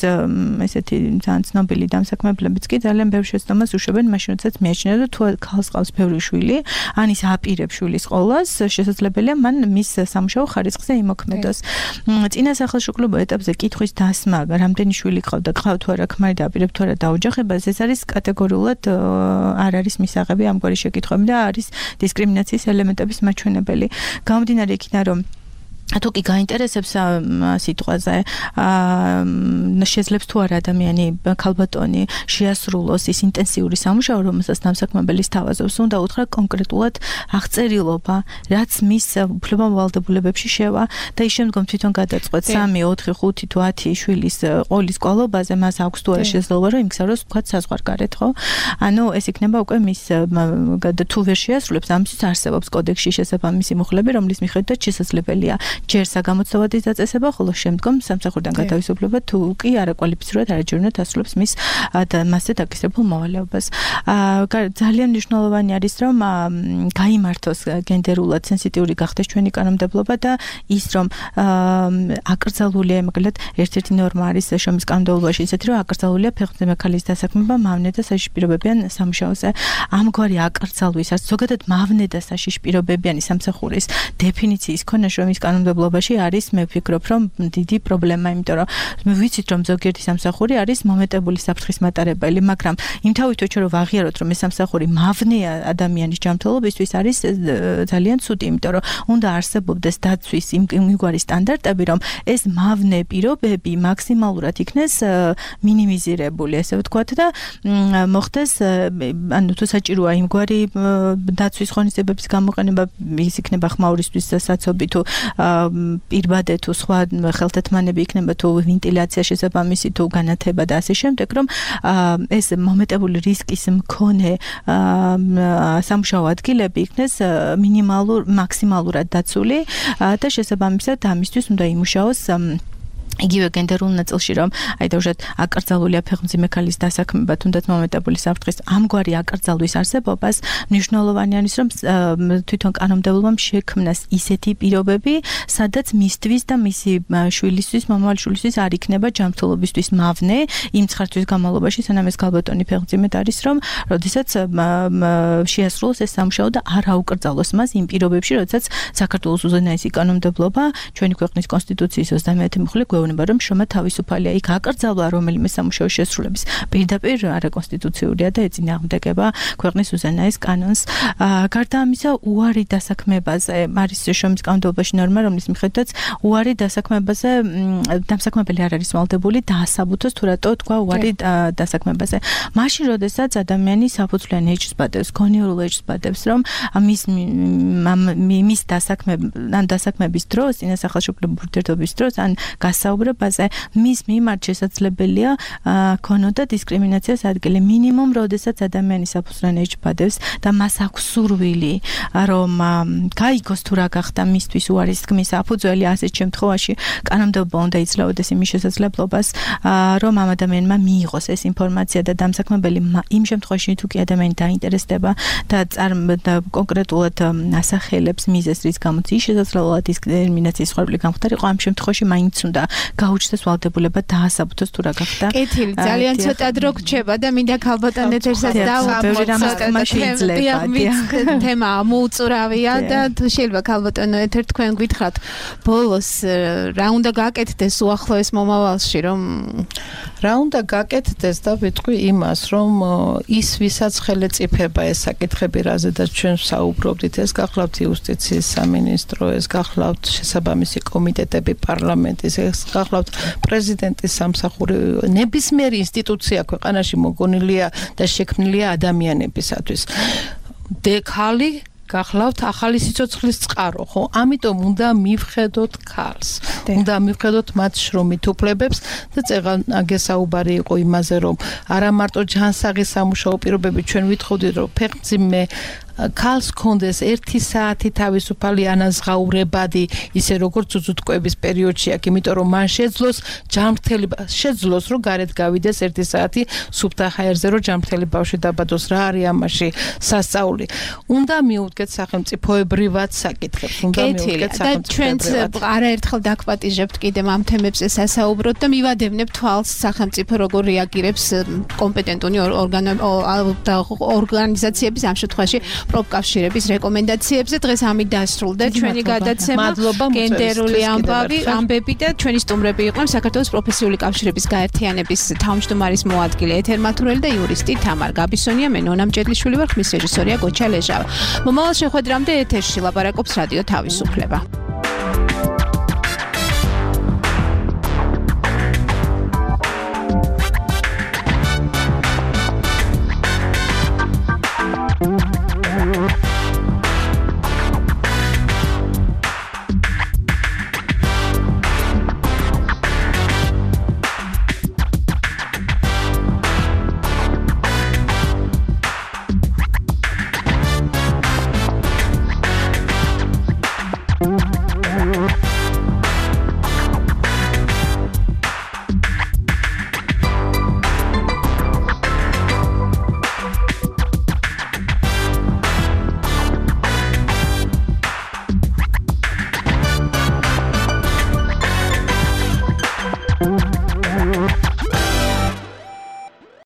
ესეთი ძალიან ცნობილი დამსაქმებლებიც კი ძალიან ბევრ შეცდომას უშვებენ მაშინ როდესაც მიაჩნია რომ თუ ქალს ყავს ბევრი შვილი ან ის აპირებს შვილის ყოლას შესაძლებელია მან მის სამუშაო ხარისხზე იმოქმედოს. წინასახელშუქრულ ეტაპზე კითხვის დასმა რამდენი შვილი ყავდა ყავ თუ არა ქმარი და აპირებ თუ არა დაოჯახებას ეს არის კატეგორიულად არ არის მისაღები ამგვარი შეკითხვები და არის დისკრიმინაციის ელემენტების მაჩვენებელი. გამომდინარე იქიდან რომ თუ კი გაინტერესებს სიტყვაზე შეძლებს თუ არა ადამიანი ქალბატონი შეასრულოს ის ინტენსიური სამუშაო რომელსაც დამსაქმებელის თავაზობს უნდა უთხრა კონკრეტულად აღწერილობა რაც მის უფლებამოვალდებულებებში შევა და ის შემდგომ თვითონ გადაწყვეტს 3, 4, 5 თუ 10 შვილის ყოლის კვალობაზე მას აქვს თუ არა შესაძლებლობა რომ იმგზავროს ვთქვათ საზღვარგარეთ ხო ანუ ეს იქნება უკვე მის თუ ვერ შეასრულებს ამისთვის არსებობს კოდექსში შესაბამისი მუხლები რომლის მიხედვითაც შესაძლებელია ჯერ საგამოცდავადი დაწესება, ხოლო შემდგომ სამსახურიდან გათავისუფლება თუ კი არაკვალიფიცირებულად არაჯერუნად ასრულებს მის მასზე დაკისრებულ მოვალეობას. ძალიან მნიშვნელოვანი არის, რომ გაიმართოს გენდერულად სენსიტიური გახდეს ჩვენი კანონმდებლობა და ის, რომ აკრძალულია, მაგალითად, ერთ-ერთი ნორმა არის შრომის კანონმდებლობაში ისეთი, რომ აკრძალულია ფეხმძიმე ქალის დასაქმება მავნე და საშიშპირებებიან სამუშაოზე. ამგვარი აკრძალვის, ზოგადად მავნე და საშიშპირებებიანი სამსახურის დეფინიციის ქონა შრომის კანონმდებლობაში არის მე ვფიქრობ რომ დიდი პრობლემა, იმიტომ რომ მე ვიცით რომ ზოგიერთი სამსახური არის მომეტებული საფრთხის მატარებელი, მაგრამ იმთავითო რომ ვაღიაროთ რომ ეს სამსახური მავნეა ადამიანის ჯანმრთელობისთვის არის ძალიან ცუდი, იმიტომ რომ უნდა არსებობდეს დაცვის იმგვარი სტანდარტები, რომ ეს მავნე პირობები მაქსიმალურად იქნეს მინიმიზირებული, ესე ვთქვათ და მოხდეს ანუ თუ საჭიროა იმგვარი დაცვის ღონისძიებების გამოყენება, ის იქნება ხმაურისთვის საცობი თუ პირბადე თუ სხვა ხელთათმანები იქნება თუ ვენტილაცია შესაბამისი თუ განათება და ასე შემდეგ, რომ ეს მომეტებული რისკის მქონე სამუშაო ადგილები იქნეს მაქსიმალურად დაცული და შესაბამისად ამისთვის უნდა იმუშაოს იგივე გენდერულ ნაწილში, რომ აი დავუშვათ აკრძალულია ფეხმძიმე ქალის დასაქმება, თუნდაც მომეტებული საფრთხის ამგვარი აკრძალვის არსებობას მნიშვნელოვანი არის, რომ თვითონ კანონმდებლობამ შექმნას ისეთი პირობები, სადაც მისთვის და მისი შვილისთვის, მომავალი შვილისთვის არ იქნება ჯანმრთელობისთვის მავნე იმ ცხართვის განმავლობაში, სანამ ეს ქალბატონი ფეხმძიმედ არის, რომ როდესაც შეასრულოს ეს სამუშაო და არ აუკრძალოს მას იმ პირობებში, როდესაც საქართველოს უზენაესი კანონმდებლობა ჩვენი ქვეყნის კონსტიტუციის 21 მუხლი გვეუბნება რომ შრომა თავისუფალია, იქ აკრძალვა რომელიმე სამუშაოს შესრულების პირდაპირ არაკონსტიტუციურია და ეწინააღმდეგება ქვეყნის უზენაეს კანონს. გარდა ამისა, უარი დასაქმებაზე არის შრომის კანონმდებლობაში ნორმა, რომლის მიხედვითაც უარი დასაქმებაზე დამსაქმებელი არ არის ვალდებული დაასაბუთოს თუ რატო თქვა უარი დასაქმებაზე. მაშინ, როდესაც ადამიანი საფუძვლიან ეჭვს ბადებს, გონიურულ ეჭვს ბადებს, რომ მის დასაქმების დროს, წინასახელშუქრული ურთიერთობის დროს ან გასაუბრებაზე მის მიმართ შესაძლებელია ქონოდა დისკრიმინაციას ადგილი. მინიმუმ, როდესაც ადამიანი საფუძვლიან ეჭვს ბადებს და მას აქვს სურვილი, რომ გაიგოს თუ რა გახდა მისთვის უარის თქმის საფუძველი, ასეთ შემთხვევაში კანონმდებლობა უნდა იძლეოდეს იმის შესაძლებლობას, რომ ამ ადამიანმა მიიღოს ეს ინფორმაცია და დამსაქმებელი იმ შემთხვევაში თუ კი ადამიანი დაინტერესდება და კონკრეტულად ასახელებს მიზეზს, რის გამოც ის შესაძლოა დისკრიმინაციის სხეული გამხდარიყო, ამ შემთხვევაში მაინც უნდა გაუჩნდეს ვალდებულება დაასაბუთოს თუ რა გახდა. კეთილი, ძალიან ცოტა დრო გრჩება და მინდა ქალბატონ ეთერსაც დავუწყოთ. თემა მოუწურავია და შეიძლება ქალბატონო ეთერ თქვენ გითხრათ ბოლოს რა უნდა გაკეთდეს უახლოეს მომავალში, რომ რა უნდა გაკეთდეს და ვიტყვი იმას, რომ ის ვისაც ხელეწიფება ეს საკითხები, რაზედაც ჩვენ საუბრობდით, ეს გახლავთ იუსტიციის სამინისტრო, ეს გახლავთ შესაბამისი კომიტეტები პარლამენტის, ეს გახლავთ პრეზიდენტის სამსახური, ნებისმიერი ინსტიტუცია ქვეყანაში მოგონილია და შექმნილია ადამიანებისათვის. დექალი გახლავთ ახალი სიცოცხლის წყარო, ხო? ამიტომ უნდა მივხედოთ ქალს. უნდა მივხედოთ მათ შრომით უფლებებს და წეღან აგესაუბარი იყო იმაზე, რომ არა მარტო ჯანსაღი სამუშაო პირობები ჩვენ ვითხოვდით, რომ ფეხმძიმე ქალს კონდეს 1 საათი თავისუფალი ანაზღაურებადი, ისე როგორც უძუტკვების პერიოდში აქ, იმიტომ რომ მან შეძლოს, რომ გარეთ გავიდეს 1 საათი სუფთა ჰაერზე, რომ ჯანმრთელი ბავშვი დაბადოს. რა არის ამაში სასწაული? უნდა მიუდგეთ სახელმწიფოებრივად საკითხებს, უნდა მიუდგეთ სახელმწიფოებრივად. ჩვენ არაერთხელ დაგვპატიჟებთ კიდევ ამ თემებზე სასაუბროთ და მივადევნებთ თვალს სახელმწიფო როგორ რეაგირებს კომპეტენტური ორგანიზაციების ამ შემთხვევაში პროფკავშირების რეკომენდაციებზე. დღეს ამით დასრულდა ჩვენი გადაცემა. გენდერული ამბები და ჩვენი სტუმრები იყვნენ საქართველოს პროფესიული კავშირების გაერთიანების თავმჯდომარის მოადგილე ეთერ მათურელი და იურისტი თამარ გაბისონია. მე ნონა მჭედლიშვილი ვარ, ხმის რეჟისორია გოჩა ლეჟავა. მომავალ შეხვედრამდე ეთერში ლაპარაკობს რადიო თავისუფლება.